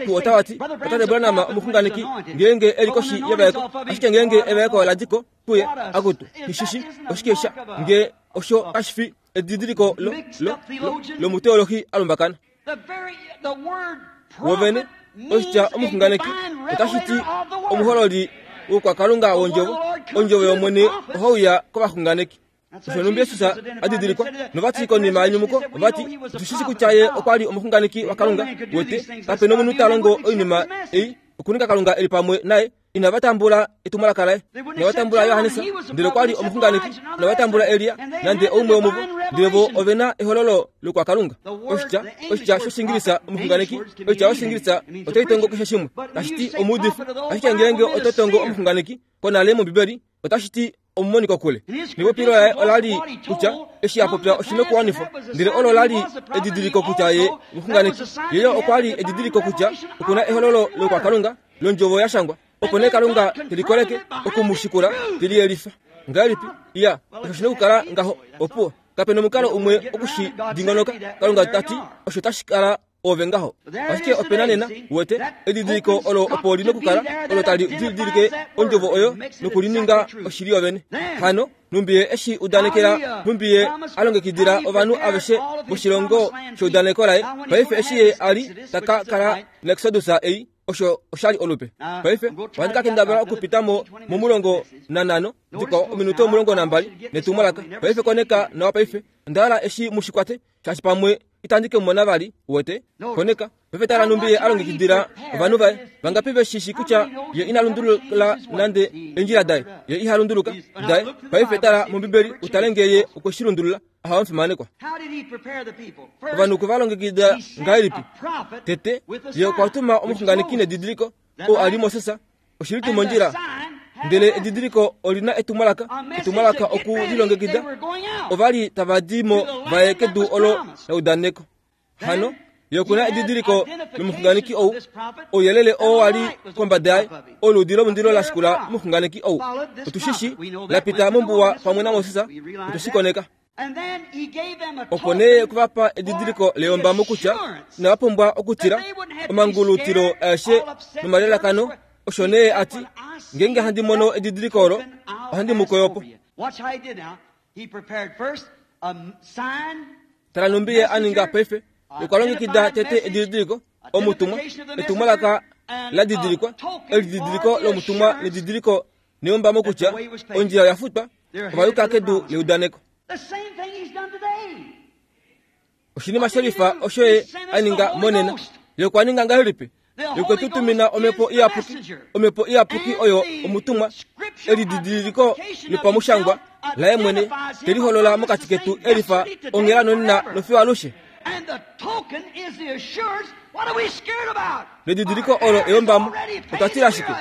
Speaker 2: Tu otawati otate Branham omuxunganeki ngeenge eli koshi yevaeko, ashike ngeenge evaeko ladiko kuye akutu hishishi oshike sha nge osho kashifi edidiliko lo lo lomuteologi alumbakana. Wovene oshitya omuxunganeki otashi ti omuhololi wokwakalunga wondjovo. Ondjovo yOmwene ohauya kovaxunganeki. Osho numbi Jesus adidilikwa novati konima yenyumuko ovati otushishi kutya ye okwa li omuxunganeki waKalunga wete kape nomunhu ta longo oinima ei okuninga Kalunga eli pamwe naye. Inava tambula etumwalaka laye, inava tambula Johannes ndele okwa li omuxunganeki, inava tambula Elia nande oumwe womuvo, ndele vo ovena ehololo lokwakalunga. Oshitya oshitya shOshingilisa omuxunganeki, oshitya shOshingilisa otai tongo keshe shimwe tashi ti omuudifi, ashike ngeenge oto tongo omuxunganeki konale mOmbibeli otashi ti omumoniko kule. Nepopilo laye ola li kutya eshi a popya oshina okuwanifwa, ndele olo la li edidiliko kutya ye omuxunganeki. Yeyo okwa li edidiliko kutya okuna ehololo lokwakalunga londjovo ya shangwa, opo nee Kalunga telikoleke okumushikula teliyelifa. Ngahelipi? Iya, osho shina okukala ngaho. Opuwo kape nomukalo umwe okushi dingonoka. Kalunga tati osho tashi kala ove ngaho. Ashike opena nena wete edidiliko olo opo lina okukala olo tali didilike ondjovo oyo nokulininga oshili yovene. Hano numbiye eshi udanekela, numbiye alongekidila ovanhu aveshe voshilongo sheudaneko laye. Paife eshi ye ali taka kala nExodus ei osho oshali olupe. Paife ohandi ka kendabala okupita mo momulongo nanhano dikwao ominute omulongo nambali netumwalaka. Paife koneka nawa paife onda hala eshi mushikwate shaashi pamwe itandi ke mona vali wete. Koneka paife tala numbi ye alongekidila ovanhu vaye. Vangapi veshishi kutya ye ina lundulula nande endjila daye, ye iha lunduluka daye. Paife tala mOmbibeli utale ngee ye okwe shi lundulula. Aha omufimanekwa. Ovanhu okwe va longekida ngahelipi? Tete ye okwa tuma omuxunganeki nedidiliko oo a li Moses. Oshili tuu mondjila, ndele edidiliko olina etumwalaka, etumwalaka oku lilongekida. Ova li tava di mo vaye kedu olo leudaneko. Hano ye okuna edidiliko lomuxunganeki ou, ouyelele oo wa li kombada yaye, oludi lomundilo la shikula omuxunganeki ou. Otushishi la pita mombuwa pamwe naMoses, otushi koneka. Opo nee okuvapa edidiliko leyombamo kutya inava pumbwa okutila omangulutilo aeshe nomalelakano. Osho nee ati ngeenge handi mono edidiliko olo ohandi mu koyopo. Tala numbi ye a ninga paife. Okwa longekida tete edidiliko omutumwa, etumwalaka la didilikwa, elididiliko lomutumwa nedidiliko neyombamo kutya ondjila oya futwa, ovayuka kedu leudaneko. Oshinima shelifa osho ye a ninga monena. Ye okwa ninga ngahelipi? Ye okwe tu tumina omhepo iyapuki. Omhepo iyapuki oyo omutumwa, elididiliko lopamushangwa laye mwene teliholola mokati ketu elifa onghela nonena nofiyo alushe. Nedidiliko olo eyombamo. Otwa tila shike?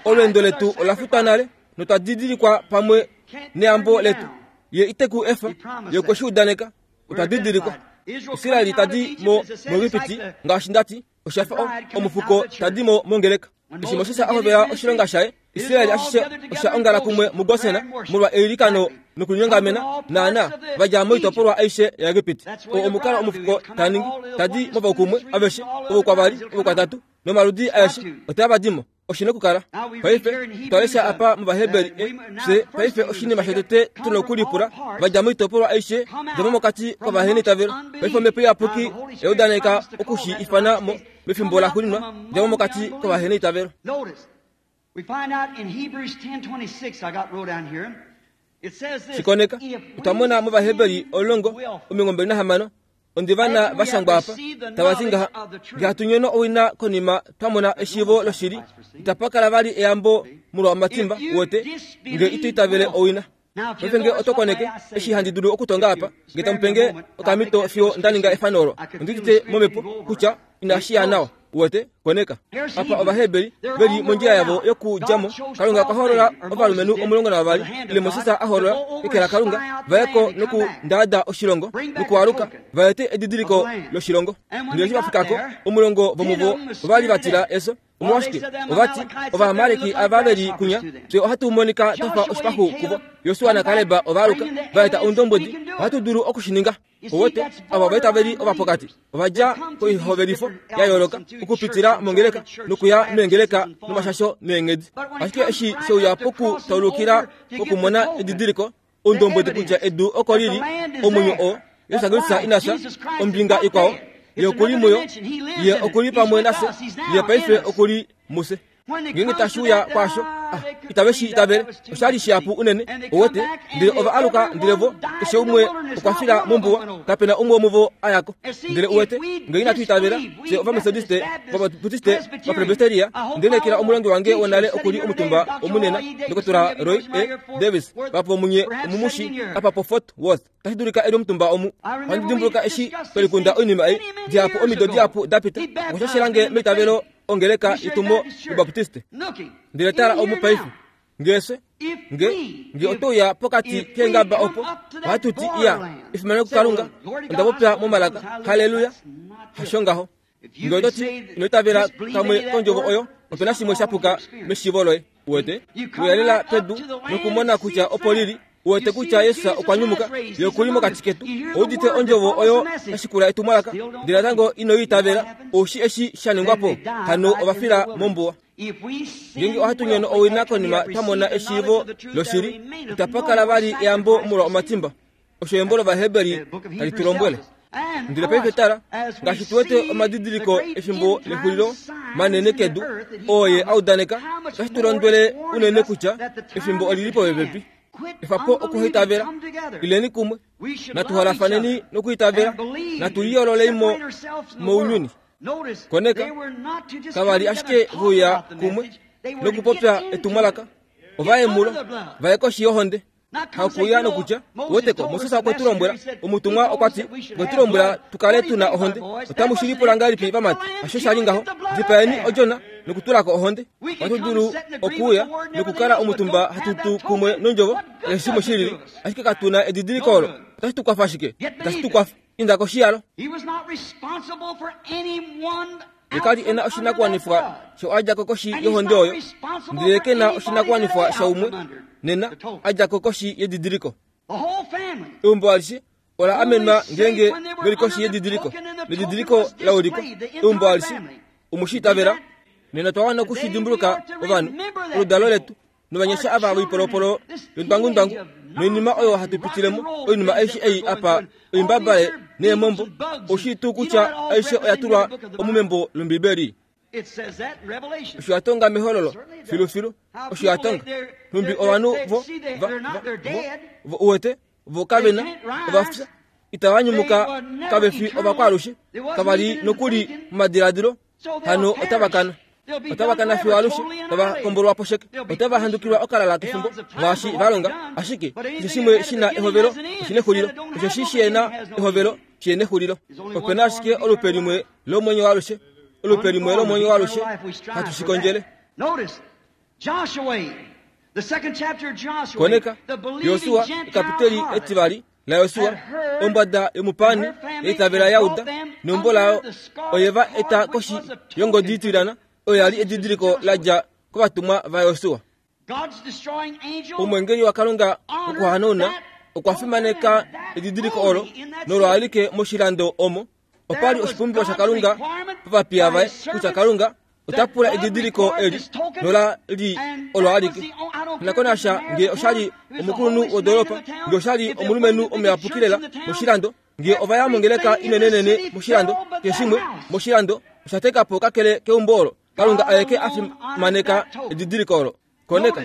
Speaker 2: Olweendo letu ola futwa nale notwa didilikwa pamwe neyambo letu. Ye ite ku efa, ye okwe shi udaneka. Otwa didilikwa. Israeli tadi mo muEgipiti ngaashi ndati oshafa omufuko tadi mo mongeleka. Eshi Moses a hovela oshilonga shaye, Israeli ashishe osha ongala kumwe muGosen molwa eilikano nokulinyongamena naana vadja moitopolwa aishe yaEgipiti. Oo omukalo omufuko ta ningi, tadi movaukumwe aveshe, ovo kwavali, ovo kwatatu, nomaludi aeshe otava di mo. Oshina okukala. Paife twalesha apa mOvaheberi fye paife oshinima shotete tuna okulipula vadja moitopolwa aishe djamo mokati kovahenitavelo. Paife omhepo iyapuki eudaneka okushi ifana mo mefimbo laxuuninwa djamo mokati kovahenitavelo. Shikoneka otwamona mOvaheberi omulongo omilongo mbali nahamano ondivana vashangwa apa tavati ngaha nge hatu nyono owina konima twamona eshiivo loshili itapakala vali eyambo molwa omatimba wote nge ito itavele owina. Paife nge oto koneke eshi handi dulu okutonga apa nge tamupenge okamito fiyo ndaninga efano olo ondidite momhepo kutya inashi ya nawa wote koneka apa Ovaheberi veli mondjila yavo yokudjamo. Kalunga okwa holola ovalumenhu omulongo navavali ile Moses a holola eke laKalunga vayeko nokundaada oshilongo nokualuka vaete edidiliko loshilongo. Ndele eshi vafikako omulongo vomuvo ovali vatila eso. Omolwashike ovati Ovaamaleki ava veli kunya fye ohatu monika twafa oshipaxu kuvo. Josua naKaleb ovaaluka vaeta oundombwedi ohatu dulu okushininga. Owote ava ovaitaveli ovapokati ovadja koihovelifo ya yooloka okupitila mongeleka nokuya meengeleka nomashasho neenghedi. Ashike eshi sheuya pokutaulukila pokumona edidiliko oundombwedi kutya edu oko lili omwenyo oo Yesu Kristus inafya ombinga ikwao ye okuli muyo ye okuli pamwe nafye ye paife okuli muse. Ngeenge tashiuya kwaasho itave shi itavele oshali shihapu unene owote ndele ova aluka ndele vo keshe umwe okwa fila mombuwa kapena umwe womuvo ayako. Ndele uwete nge inatu itavela fye Ovametodiste Ovabaptiste Vapresbyteria ndele omulongi wange wonale okuli omutumba omunena Dr Roy A Davis vapo munye omumushi apa po Fort Worth tashi dulika eli omutumba omu. Ohandi dimbuluka eshi twelikunda oinima ei dihapu omido dihapu dapita okwashashelange meitavelo ongeleka itumo Baptiste. Ndele tala omu paife ngese nge nge otouya pokati keengaba opo ohatu ti iya efimano kuKalunga onda popya momalaka haleluya hasho ngaho. Nge ototi inoitavela kamwe kondjovo oyo opena shimwe shapuka meshiivo loye uwete uyalela pedu nokumona kutya opo lili uwete kutya Yesu okwa nyumuka ye okuli mokati ketu oudite ondjovo oyo yashikula etumwalaka ndele natango inoiitavela oushi eshi shaningwapo hano ovafila mombuwa. Ngeenge ohatu nyono owina konima twamona eshiivo loshili itapakala vali eyambo molwa omatimba. Osho embo lOvaheberi tali tu lombwele. Ndele paife tala ngaashi tuwete omadidiliko efimbo lexulilo manene kedu oo ye audaneka otashi tu londwele unene kutya efimbo olili popepi. Efapo okuitavela ileni kumwe natuholafaneni nokuitavela natuliyoololeimo mounyuni. Koneka kavali ashike vuya kumwe nokupopya etumwalaka ovaemulo vaye koshi yohonde hakuya nokutya woteko Moses okwe tu lombwela omutumwa okwati okwe tu lombwela tukale tuna ohonde otamu shilipula ngahelipi vamati hasho shali ngaho dipaeni odjona nokutulako ohonde. Ohatu dulu okuuya nokukala omutumba hatutu kumwe nondjovo keshe shimwe shilili ashike katuna edidiliko olo otashi tu kwafa ashike itashi tu kwafa inda koshiyalo. Ye kali ena oshinakuwanifwa sho adjako koshi yohonde oyo ndele kena oshinakuwanifwa shaumwe nena adjako koshi yedidiliko. Eumbo alishe ola amenwa ngeenge veli koshi yedidiliko nedidiliko laulikwa eumbo alishe omushi itavela nena twawana okushidimbuluka ovanhu oludalo letu novanyasha ava voipolopolo yondwangundwangu noinima oyo hatu pitilemo oinima aishe ei apa oimbabale neemombo oushi tuu kutya aishe oya tulwa omumembo lOmbibeli. Osho yatonga mehololo filufilu osho yatonga nhumbi ovanhu vo vo uwete vo kavena ovafya itava nyumuka kavefi ovakwaalushe kavali nokuli momadiladilo hano otava kana otava kana fiyo alushe tava kombolwa posheke otava handukilwa okalala kefimbo ngaashi valonga ashike keshe shimwe shina ehovelo oshina exulilo osho shi shena ehovelo shina exulilo. Opena ashike olupe limwe lomwenyo waalushe olupe limwe lomwenyo waalushe hatu shikondjele. Koneka Josua ekapiteli etivali la Josua ombada yomupani eitavela yauda neumbo layo oyeva eta koshi yongodi itilana oyo yali edidiliko ladja kovatumwa va Josua. Omwengeli waKalunga okuhanauna okwa fimaneka edidiliko olo nolwaalike moshilando omo opali oshipumbiwa shaKalunga povapiya vaye kutya Kalunga Ota pula edidiliko eli nola li olo alike. Nakonasha nge oshali omukulunhu wodoolopa, nge oshali omulumenhu omuyapuki lela moshilando, nge ovaya mongeleka inenenene moshilando, keshimwe moshilando osha teka po kakele keumbo olo. Kalunga aeke a fimaneka edidiliko olo. Koneka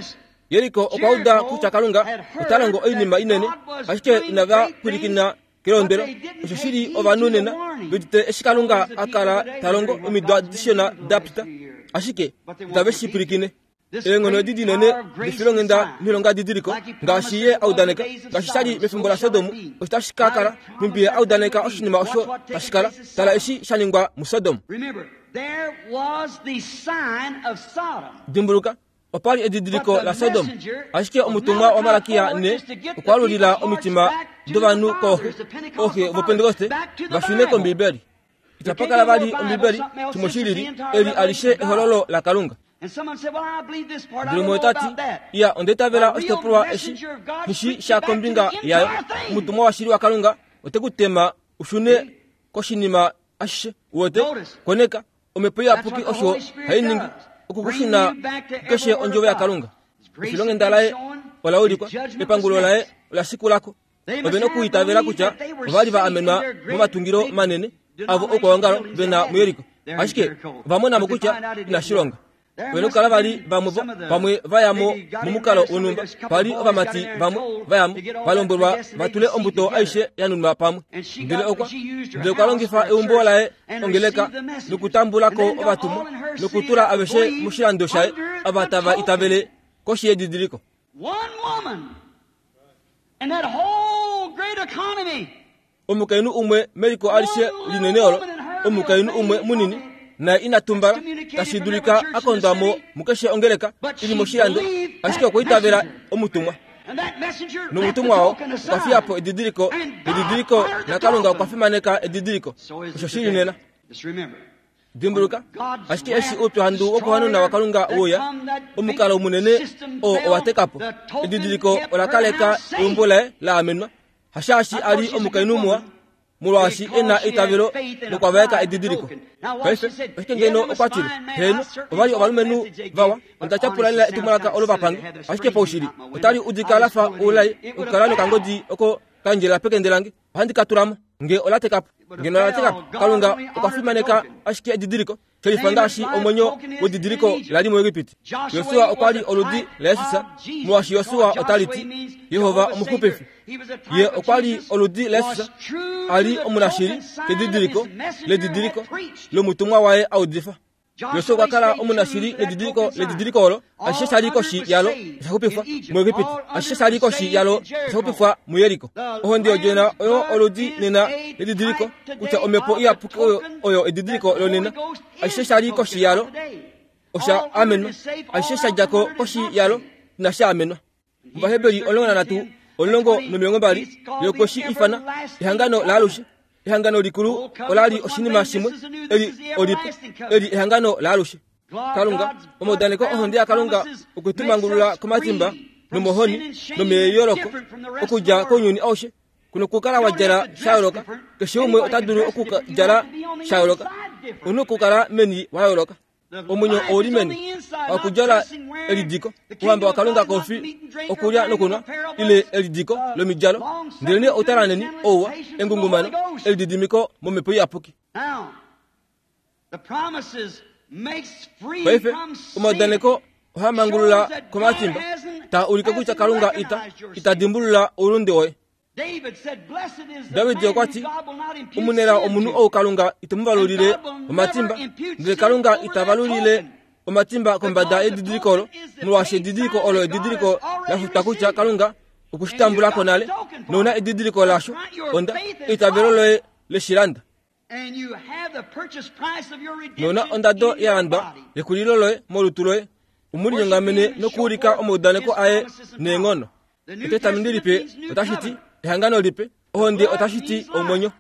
Speaker 2: Jeriko okwa uda kutya Kalunga ota longo oinima inene, ashike inava pwilikina kelondwelo. Osho shili ovanhu nena vedite eshi Kalunga a kala ta longo omido adishona da pita, ashike itave shi pwilikine. Eenghono edi dinene defilonghenda noilonga didiliko ngaashi ye a udaneka, ngaashi sha li mefimbo laSodom, osho tashi ka kala nhumbi ye a udaneka oshinima osho tashi kala. Tala eshi sha ningwa muSodom. Dimbuluka, opa li edidiliko laSodom, ashike omutumwa waMalakia ne okwa lulila omitima dovanhu kooxe, ooxe voPentekoste va shune kOmbibeli. Itapa kala vali Ombibeli shimwe shi lili, eli alishe ehololo laKalunga. Ndele umwe ota ti, iya, onda itavela oshitopolwa eshi nishi sha kombinga yayo. Omutumwa washili waKalunga ote ku tema u shune koshinima ashishe. Uwete? Koneka, omhepo iyapuki osho hai ningi, okukushuna keshe ondjovo yaKalunga. Efilonghenda laye ola ulikwa, epangulo laye ola shikulako. Ove nokuitavela kutya ova li va amenwa momatungilo manene avo okwaongalo vena muYeriko, ashike ova monamo kutya inashi longa. Ove nokukala vali vamwe pamwe vayamo momukalo wonhumba. Pali ovamati vamwe vayamo va lombwelwa va tule ombuto aishe ya nunwa pamwe. Ndele okwa ndele okwa longifa eumbo laye ongeleka nokutambulako ovatumwa nokutula aveshe moshilando shaye ava tava itavele koshi yedidiliko. Omukainhu umwe meliko alishe linene olo, omukainhu umwe munini naye ina tumbala, tashi dulika a kondwa mo mukeshe ongeleka ili moshilando, ashike okwa itavela omutumwa. Nomutumwa oo okwa fiya po edidiliko, edidiliko naKalunga okwa fimaneka edidiliko. Osho shili nena. Dimbuluka, ashike eshi oupyuhandu wokuhanuna waKalunga wouya, omukalo munene oo owa teka po. Edidiliko ola kaleka eumbo laye la amenwa, hashaashi a li omukainhu muwa, molwaashi e na eitavelo nokwavaeka edidiliko. Paife, ashike ngeno okwa tile, heeno, ova li ovalumenhu vawa, onda tyapula lela etumwalaka olo vapange, ashike paushili otali udika la fa oulai okukala nokangodi oko kandjela pekende lange, ohandi ka tula mo nge ola teka po. Ngeno ola teka po, Kalunga okwa fimaneka ashike edidiliko, shelifa ngaashi omwenyo wedidiliko la li muEgipiti. Josua okwa li oludi laJesus, molwaashi Josua otali ti Jehova omuxupifi. Ye okwa li oludi laJesus, a li omunashili kedidiliko ledidiliko lomutumwa waye a udifa. Josua okwa kala omunashili nedidiliko ledidiliko olo, ashishe sha li koshi yalo osha xupifwa muEgipiti, ashishe sha li koshi yalo osha xupifwa muYeriko. Ohonde yodjona oyo oludi nena ledidiliko kutya omhepo iyapuki oyo oyo edidiliko lonena. Ashishe sha li koshi yalo osha amenwa, ashishe sha dja ko koshi yalo inasha amenwa. Ovaheberi omulongo nanhatu omulongo nomilongo mbali yokoshi ifana ehangano laalushe. Ehangano likulu ola li oshinima shimwe, eli olipe, eli ehangano laalushe. Kalunga, omaudaneko ohonde yaKalunga okwetumangulula komatimba nomohoni nomeeyoloko okudja kounyuni aushe. Kuno kukala wa djala sha yooloka, keshe umwe ota dulu okudjala sha yooloka, omunhu okukala meni wa yooloka. Omwenyo ouli meni okudjala elidiko, ouhamba waKalunga koufi okulya nokunwa, ile elidiko lomidjalo, ndelenee outalaneni, ouwa, engungumano, elididimiko momhepo iyapuki. Paife omaudaneko ohaa mangulula komatimba, taa ulike kutya Kalunga ita ita dimbulula oulunde woye. David okwa ti, omunelao omunhu ou Kalunga ite mu valulile omatimba, ndele Kalunga ita valulile omatimba kombada yedidiliko olo, molwaashi edidiliko olo edidiliko la futwa kutya Kalunga okwe shi tambula ko nale, nouna edidiliko lasho, onda eitavelo loye leshilanda. Nouna ondado ya landwa yekulilo loye molutu loye, umulinyongamene nokuulika omaudaneko aye neenghono. Etestamenti lipe otashi ti ehangano lipe, ohonde otashi ti omwenyo.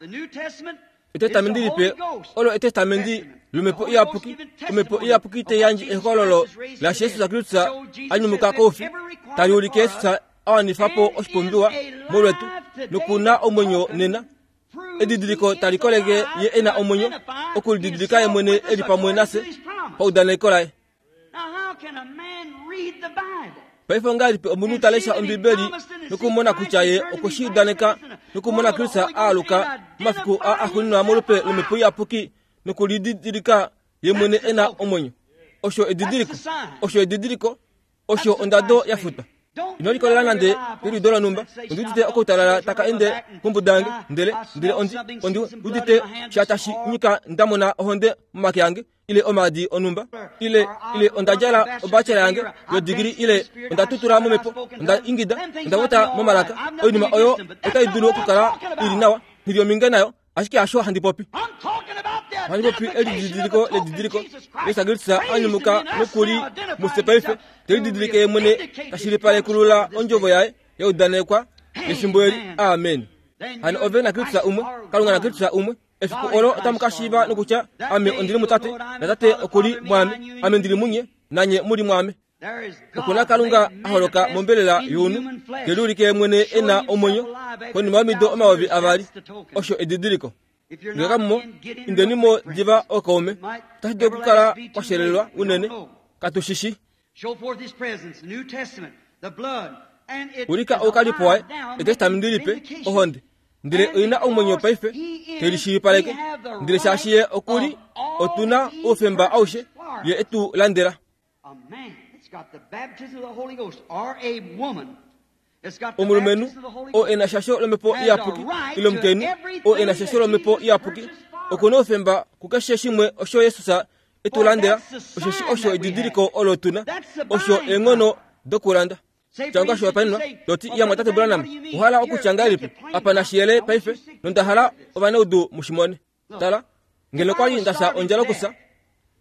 Speaker 2: Etestamenti lipe olo etestamenti lomhepo iyapuki. Omhepo iyapuki te yandje ehokololo laJesus Kristus a nyumuka koufi, tali ulike Jesus a wanifa po oshipumbiwa molwetu nokuna omwenyo nena. Edidiliko tali koleke ye e na omwenyo, okulididilika ye mwene e li pamwe nafye paudaneko laye. Paife ongahelipi omunhu ta lesha Ombibeli nokumona kutya ye okwe shi udaneka nokumona Kristus a aluka momafiku aa axuuninwa molupe lOmhepo Iyapuki nokulididilika ye mwene e na omwenyo? Osho edidiliko, osho edidiliko, osho ondado ya futwa. Ino likolela nande keliudo lonhumba. Ondi udite okautalala taka ende kombuda yange, ndele ndele ondi ondi udite sha tashi nyika nda mona ohonde momake ange, ile omaadi onhumba, ile ile onda djala obachelor yange yodigili, ile onda tutula momhepo, onda ingida, onda vota momalaka. Oinima oyo otai dulu okukala ili nawa, nghili ominge nayo, ashike hasho handi popi. Handi popi elididiliko ledidiliko Yesu Kristus a nyumuka nokuli mufye paife, te lididilike ye mwene tashilipalekulula ondjovo yaye yaudanekwa efimbo eli. Amen. Hano ove na Kristus umwe, Kalunga na Kristus umwe. Efiku olo otamu ka shiiva nokutya ame ondili mutate, natate okuli mwame, ame ndili munye, nanye muli mwame. Okuna Kalunga a holoka mombelela younhu, te liulike mwene e na omwenyo konima yomido omayovi avali. Osho edidiliko. Ngee kamumo, indenimo diva ookaume. Otashi dulu okukala kwashelelwa unene, katu shi shi. Ulika oukalipo waye, Etestamenti lipe, ohonde. Ndele oina omwenyo paife, te lishilipaleke. Ndele shaashi ye okuli, otuna oufemba aushe, ye etu landela. Omulumenhu oo e na shasho lomhepo iyapuki, ile omukainhu oo e na shasho lomhepo iyapuki, okuna oufemba kukeshe shimwe osho Jesus etu landela, osheshi osho edidiliko olo tuna, osho eenghono dokulanda. Tya oshihopaenenwa, toti iya mwatate Branham, ohala okutya ngahelipi? Apa nashiyele paife, nonda hala ovanaudu mushimone. Tala, ngeno kwali ndafya ondjala okufya,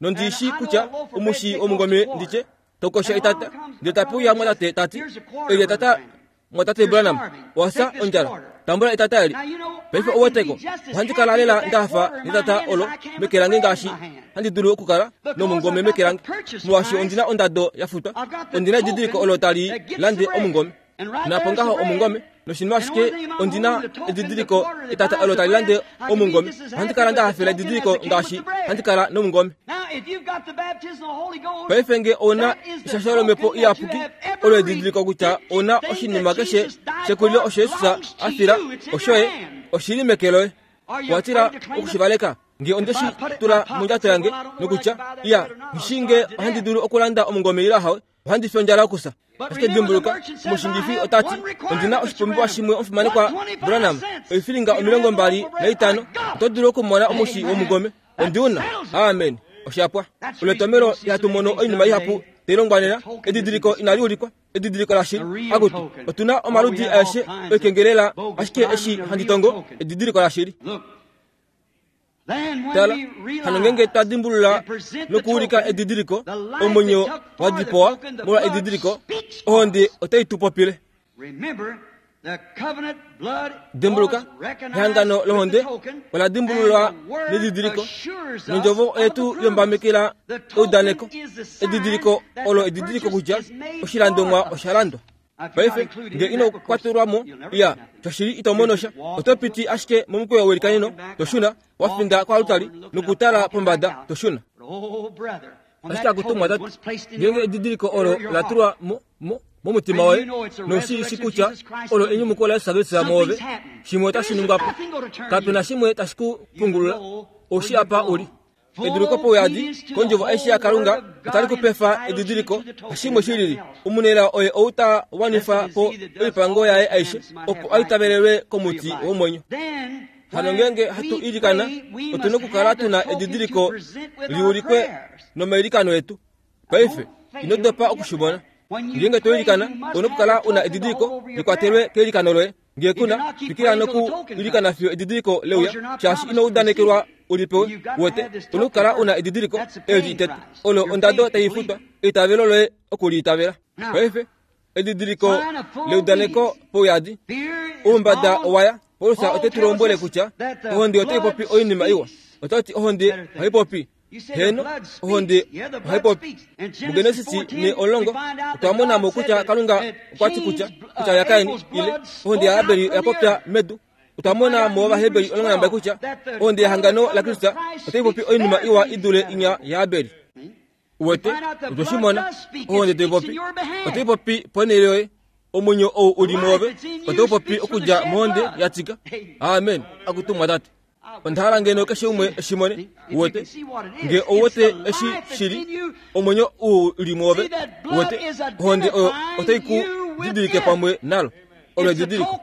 Speaker 2: nondishi kutya omushi womungome nditye, tokosha etata, ndele tapuya mwatate tati, eli etata mwatate Branham, owafya ondjala, tambula etata eli. Paife ouweteko, ohandi kala lela ndahafa netata olo meke lange ngaashi handi dulu okukala nomungome meke lange, molwaashi ondina ondado ya futwa, ondina edidiliko olo tali lande omungome. Napo ngaho omungome, noshinima ashike ondina edidiliko etata olo tali lande omungome. Ohandi kala ndahafela edidiliko ngaashi handi kala nomungome. Paife nge ouna eshasho lomhepo iyapuki, olo edidiliko kutya ouna oshinima keshe shekulilo osho Jesus a fila, oshoye, oshili meke loye. Watila okushivaleka nge onde shi tula mondjato yange nokutya iya nghishi nge ohandi dulu okulanda omungome ile hawe, ohandi fi ondjala okufya. Ashike dimbuluka, omushingifi otati ondina oshipumbiwa shimwe omufimanekwa Branham, oifilinga omilongo mbali naitano, oto dulu okumona omushi womungome. Ondiuna. Amen. Oshapwa. Oletomelo ihatu mono oinima ihapu tai longwa nena, edidiliko inali ulikwa, edidiliko lashili. Akutu, otuna omaludi aeshe oikengelela, ashike eshi handi tongo edidiliko lashili. Tala, hano ngenge twa dimbulula nokuulika edidiliko, omwenyo wa dipowa molwa edidiliko, ohonde otai tu popile. Dimbuluka, ehangano lohonde ola dimbululwa nedidiliko, nondjovo oyetu yombamekela eudaneko. Edidiliko olo edidiliko kutya oshilandomwa osha landwa. Paife nge ino kwatelwa mo, iya shoshili ito mono sha, oto piti ashike momukweyo welikaneno, toshuna wafinda kwalutali nokutala pombada, toshuna. Ashike akutumwa tati, ngenge edidiliko olo la tulwa mo mo momutima woye, noshiishi kutya olo enyumuko la Yesu Kristus mwoove, shimwe otashi ningwa po. Kapena shimwe tashi ku pungulula, oushi apa uli. Eduliko pouyadi kondjovo aishe yaKalunga otali kupefa edidiliko, hashimwe shilili. Omunelao oye ou ta wanifa po oipango yaye aishe, opo a itavelelwe komuti womwenyo. Hano ngenge hatu ilikana, otuna okukala tuna edidiliko liulikwe nomailikano etu. Paife ino dopa okushimona. Ngenge to ilikana, ouna okukala una edidiliko likwatelwe keilikano loye. Ngee kuna, twikila noku ilikana fiyo edidiliko leuya, shaashi ino udanekelwa ulipewe. Wete, ouna okukala una edidiliko eli itete, olo ondado tai futwa, eitavelo loye okuliitavela. Paife edidiliko leudaneko pouyadi, oumbada owaya. Paulus ote tu lombwele kutya ohonde otai popi oinima iwa. Otati ohonde ohai popi. Heno, ohonde ohai popi. MuGenesis ne olongo otwa mona mo kutya Kalunga okwa ti kutya kutya yaKain ile ohonde yaAbel oya popya medu. Otwa mona mo Ovaheberi olongo nambali kutya ohonde yehangano laKristus otai popi oinima iwa i dule inya yaAbel. Uwete otwe shi mona ohonde tai popi otai popi ponhele yoye omwenyo ou uli mwoove otau popi okudja mohonde ya tika. Amen. Akutumwa tate. Onda hala ngeno keshe umwe eshi mone. Uwete nge ouwete eshi shili omwenyo u li mwoove. Uwete ohonde oyo otai ku didilike pamwe nalo. Olo edidiliko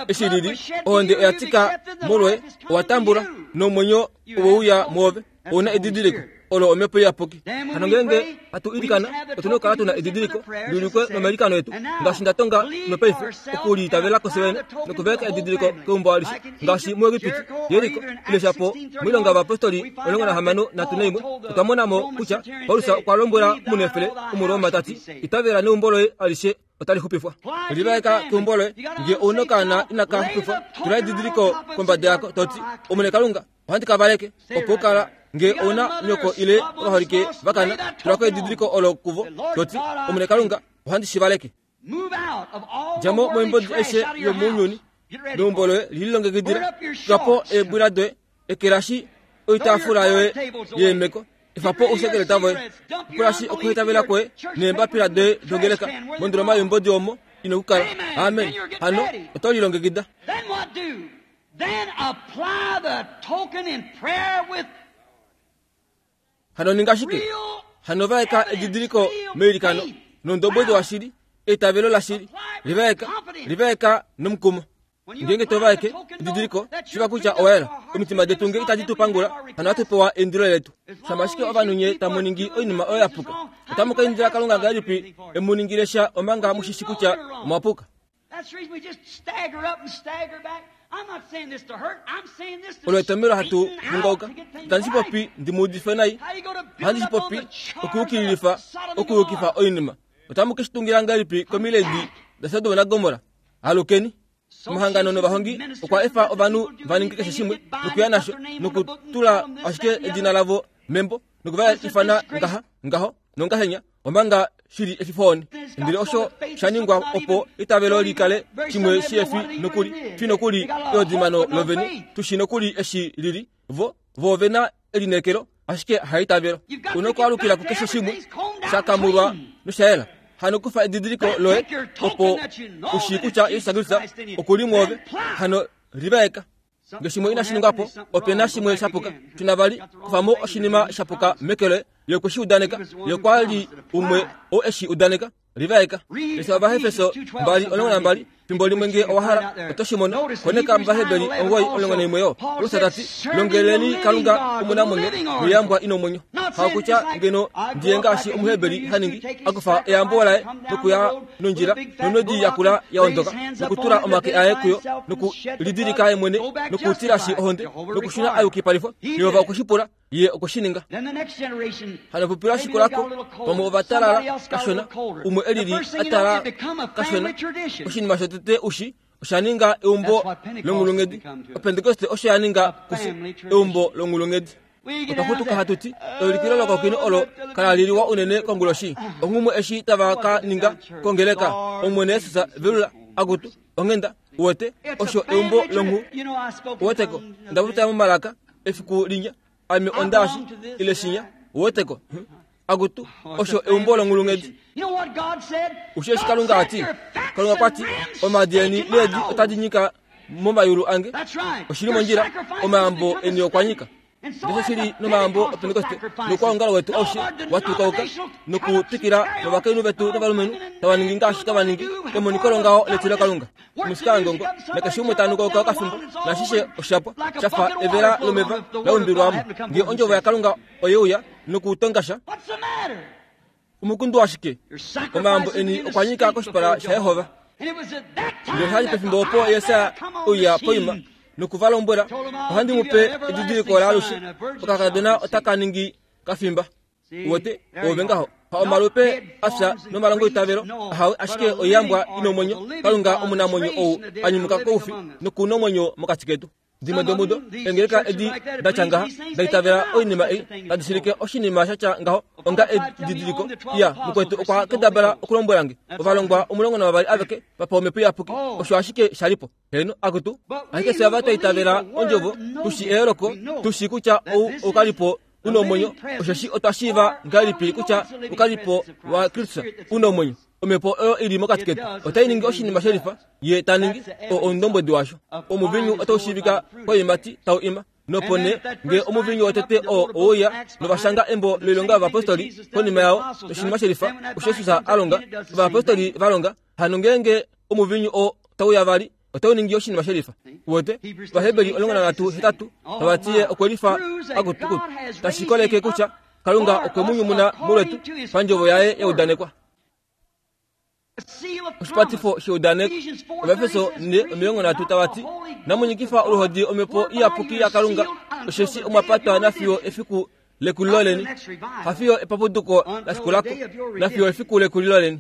Speaker 2: eshi lili ohonde oya tika molwoye owa tambula nomwenyo oweuya mwoove ouna edidiliko olo omhepo iyapuki. Hano ngeenge hatu ilikana otuna okukala tuna edidiliko liulikwe nomailikano etu ngaashi nda tonga nopaife okuliitavela kofye vene nokuvaeka edidiliko keumbo alishe ngaashi muEgipiti, Jeriko ile shapo moilonga yovayapostoli omulongo nahamano nhatu naimwe otwa mona mo kutya Paulus okwa lombwela omunefele Omuroma tati itavela neumbo loye alishe otali xupifwa. Livaeka keumbo loye nge ouna okaana inaka xupifwa tula edidiliko kombada yako toti Omwene Kalunga ohandi ka valeke opo ukala nge ouna nyoko ile ovaholike vakana tulako edidiliko olo kuvo toti Omwene Kalunga ohandi shi valeke. Djamo moimbodi aishe yomounyuni neumbo loye lililongekidila tulapo eebwila doye ekelashi oitaafula yoye yeemeko efapo ousekeleta voye pulashi okuhitavela kwoye neembapila doye dongeleka mondoloma yoimbodi omo ino kukala. Amen. Hano oto lilongekida. Hano ninga shike? Hano vaeka edidiliko meilikano nondombwedi washili eitavelo lashili livaeka livaeka nomukumo. Ngeenge tovaeke edidiliko shiva kutya owayela omitima detu nge itadi tu pangula hano hatu pewa eindilo letu. Shama ashike ovanhu nye tamu ningi oinima oyo ya puka otamu ka indila Kalunga ngahelipi emuningile sha omanga mushishi kutya omwa puka. Olo etomelo hatu vungauka. Itandi shi popi ndi mu udife nai, ohandi shi popi okuyukililifa okuyukifa oinima. Otamu ke shi tungila ngahelipi komiledi daSodom naGomorra? Alukeni. Omahangano novahongi okwa efa ovanhu va ninge keshe shimwe nokuya nasho nokutula ashike edina lavo membo nokuva ifana ngaha ngaho nongahenya omanga shili efifoni. Ndele osho sha ningwa opo itavelo likale shimwe shiefi nokuli fi nokuli eodimano lovene tushi nokuli eshi lili vo vo vena elineekelo ashike haitavelo. Una okwaalukila kukeshe shimwe shakamulwa noshayela. Hano kufa edidiliko loye opo ushi kutya Yesu Kristo okuli mwoove. Hano livaeka. Nge shimwe inashi ningwapo opena shimwe shapuka. Tuna vali kufamo oshinima shapuka meke loye ye kweshi udaneka ye kwali umwe oo eshi udaneka. Livaeka. Lesa Ovahefeso mbali omulongo nambali fimbo limwe nge owahala oto shi mono. Koneka Ovaheberi omugoyi omulongo naimwe yo Paulus tati longeleni Kalunga omunamwenyo noyambwa ina omwenyo. Hakutya ngeno ndiye ngaashi Omuheberi haningi akufa eyambo laye nokuya nondjila nonodi yakula ya ondoka nokutula omake aye kuyo nokulidilika ye mwene nokutilashi ohonde nokushuna ayukipalifwa. Yehova okweshipula ye okweshininga. Hano pupila shikulako pamwe ovatalala kashona umwe elili atala kashona oshinima shotete ushi osha ninga eumbo longulungedi. Opentekoste osho ya ninga kufye eumbo longulungedi. Otwa xutuka hatuti eulikilo lokokino olo kala liliwa unene konguloshi onghumwe eshi tava ka ninga kongeleka Omwene Yesus velula akutu onghenda uwete osho eumbo longhu uweteko ndapopya momalaka efiku linya ame ondaashi ile shinya uweteko akutu osho eumbo longulungedi. Ushe eshi Kalunga ati Kalunga kwati omaadi eni needi otadi nyika momayulu ange oshili mondjila omayambo eni okwa nyika. Ndesho shili nomayambo opentekoste nokwaongalo wetu aushe watukauka nokutwikila novakainhu vetu novalumenhu tava ningi ngaashi tava ningi emoniko longaho letilo Kalunga. Omusika ngongo nakeshe umwe tanukauka okafimbo nashishe oshapwa shafa evela lomeva laumbilwamo nge ondjovo yaKalunga oyeuya nokutongasha omukundu washike omayambo eni okwa nyika koshipala shaYehova. Ndele oshali pefimbo opo Yesaia ouya poima nokuvalombwela ohandi mupe edidiliko laalushe okakadona otaka ningi kafimba. Uwete ove ngaho ha omalupe afya nomalongo itavelo ahawe ashike oiyambwa ina omwenyo. Kalunga omunamwenyo ou anyumuka koufi nokuna omwenyo mokati ketu. Dimwe domudo engeleka edi datya ngaha daitavela oinima ei tadi shilike oshinima shatya ngaho onga edidiliko. Iya mukwetu okwa kendabala okulombwela nge ovalongwa omulongo navavali aveke vapewa omhepo iyapuki osho ashike shalipo. Heno akutu ashike fye ava twaitavela ondjovo tushi eyooloko tushi kutya ou okalipo una omwenyo osheshi otwa shiiva ngahelipi kutya ukalipo wa Kristus una omwenyo omhepo oyo ili mokati ketu otai ningi oshinima shelifa ye ta ningi oundombwedi washo. Omuvinyu otau shiivika koiimati tau ima nopo nee nge omuvinyu wotete oo ouya novashanga embo loilonga yovapostoli konima yao oshinima shelifa osho Jesus a longa ovapostoli va longa hano ngeenge omuvinyu oo tauya vali otau ningi oshinima shelifa. Wote Vaheberi omulongo nanhatu hetatu tava ti ye okwe lifa akutukutu tashi koleke kutya Kalunga okwe mu nyumuna molwetu pandjovo yaye yaudanekwa. Oshipatifo sheudaneko. Ovaefeso ne omilongo nhatu tava ti namunyikifa oluhodi omhepo iyapuki yaKalunga osheshi omwa patwa nafiyo efiku lekulilo leni hafiyo epapuduko lashikulako nafiyo efiku lekulilo leni.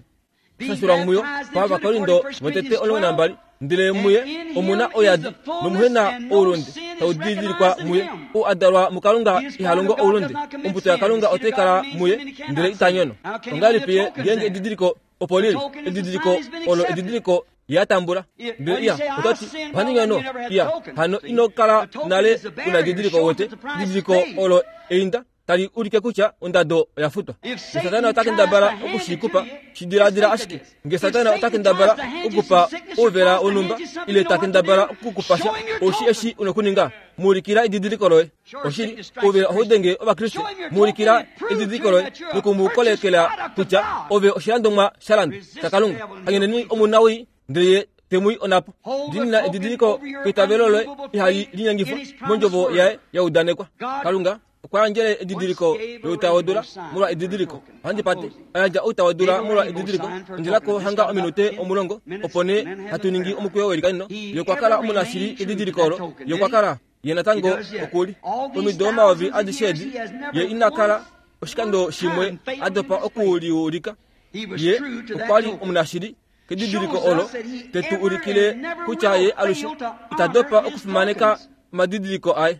Speaker 2: Shashulwa muyo pavaKorindo votete omulongo nambali ndele muye omuna oyadi nomuhena oulunde tau didilikwa muye ou adalwa muKalunga iha longo oulunde ombuto yaKalunga otai kala muye ndele ita nyono. Ongahelipi ye ngeenge edidiliko opo lili edidiliko olo edidiliko ye atambula ndele iya otati ohandi nyono iya hano ino kala nale una edidiliko wote edidiliko olo einda tali ulike kutya ondado oya futwa. Satana ota kendabala okushikupa shidiladila ashike nge Satana ota kendabala okukupa ouvela wonhumba ile ta kendabala okukupasha oshi eshi una okuninga muulikila edidiliko loye. Oshili ouvela ohau denge Ovakriste muulikila edidiliko loye nokumukolekela kutya ove oshilandomwa sha landwa shaKalunga. Hanyeneni omunawii ndele ye temui onapo. Dinina edidiliko keitavelo loye ihali linyengifwa mondjovo yaye yaudanekwa. Kalunga okwa yandjele edidiliko loutawodula molwa edidiliko. Ohandi pate ayandja outawodula molwa edidiliko. Ondjelako hanga ominute omulongo opo nee hatu ningi omukweyo welikanino. Ye okwa kala omunashili edidiliko olo. Ye okwa kala ye natango okuli omido omayovi adishe edi ye ina kala oshikando shimwe a dopa okuliulika. Ye okwa li omunashili kedidiliko olo tetu ulikile kutya ye alushe ita dopa okufimaneka omadidiliko aye.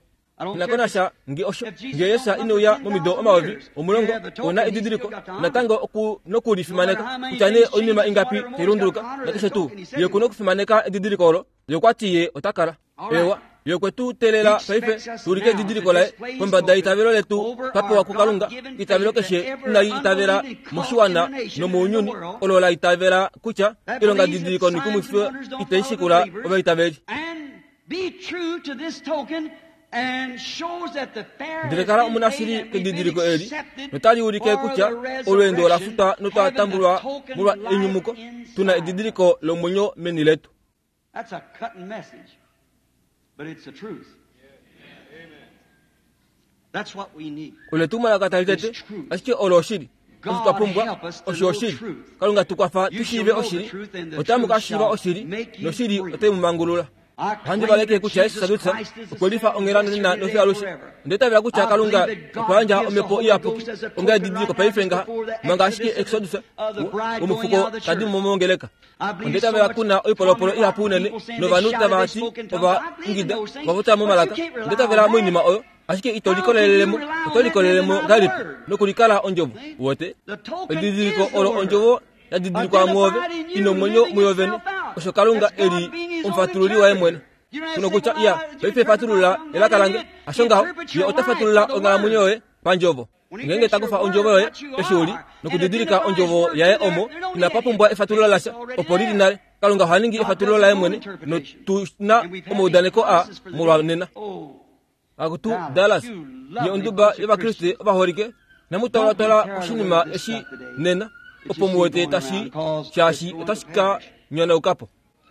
Speaker 2: Inakonasha nge osho nge Yesu ineuya momido omayovi omulongo ona edidiliko natango oku nokulifimaneka kutya nee oinima ingapi tailunduluka nakeshe tuu ye okuna okufimaneka edidiliko olo. Ye okwa ti ye ota kala ewa ye okwe tu teelela paife tuulike edidiliko laye kombada yeitavelo letu twa pewa kuKalunga. Eitavelo keshe inali itavela moshiwana nomounyuni olo la itavela kutya ilonga didiliko noikumwifo itai shikula ovaitaveli. Ndele kala omunashili kedidiliko eli notali ulike kutya olweendo ola futwa notwa tambulwa molwa enyumuko tuna edidiliko lomwenyo meni letu. Ole tumwalaka tali tete ashike olo oshili osho twa pumbwa osho oshili. Kalunga tukwafa tushiive oshili otamu ka shiiva oshili noshili otai mu mangulula. Ohandi valeke kutya Jesus Kristus okwe lifa onghela nonena nofiyo alushe. Onda itavela kutya Kalunga okwa yandja omhepo iyapuki onga edidiliko paife ngaha manga ashike Exodus womufuko tadi mo mongeleka. Onda itavela kuna oipolopolo ihapu unene novanhu tava ti ova ingida ova momalaka. Onda itavela moinima oyo ashike ito likolelelemo oto likolelemo ngahelipi nokulikala ondjovo wote. Edidiliko olo ondjovo yadidilikwa muove ina omwenyo muyo vene osho Kalunga eli omufatululi waye mwene. Kuno kutya iya paife fatulula elaka lange asho ngaho ye ota fatulula onghalamwenyo yoye pandjovo. Ngeenge takufa ondjovo yoye eshi uli nokudidilika ondjovo yaye omo inapa pumbwa efatululo lasha opo lili nale. Kalunga oha ningi efatululo laye mwene notuna omaudaneko a molwa nena. Akutu Dallas ye onduba yOvakriste ovaholike namutwalwatwala oshinima eshi nena opo muwete tashi shaashi otashi ka nyonaukapo.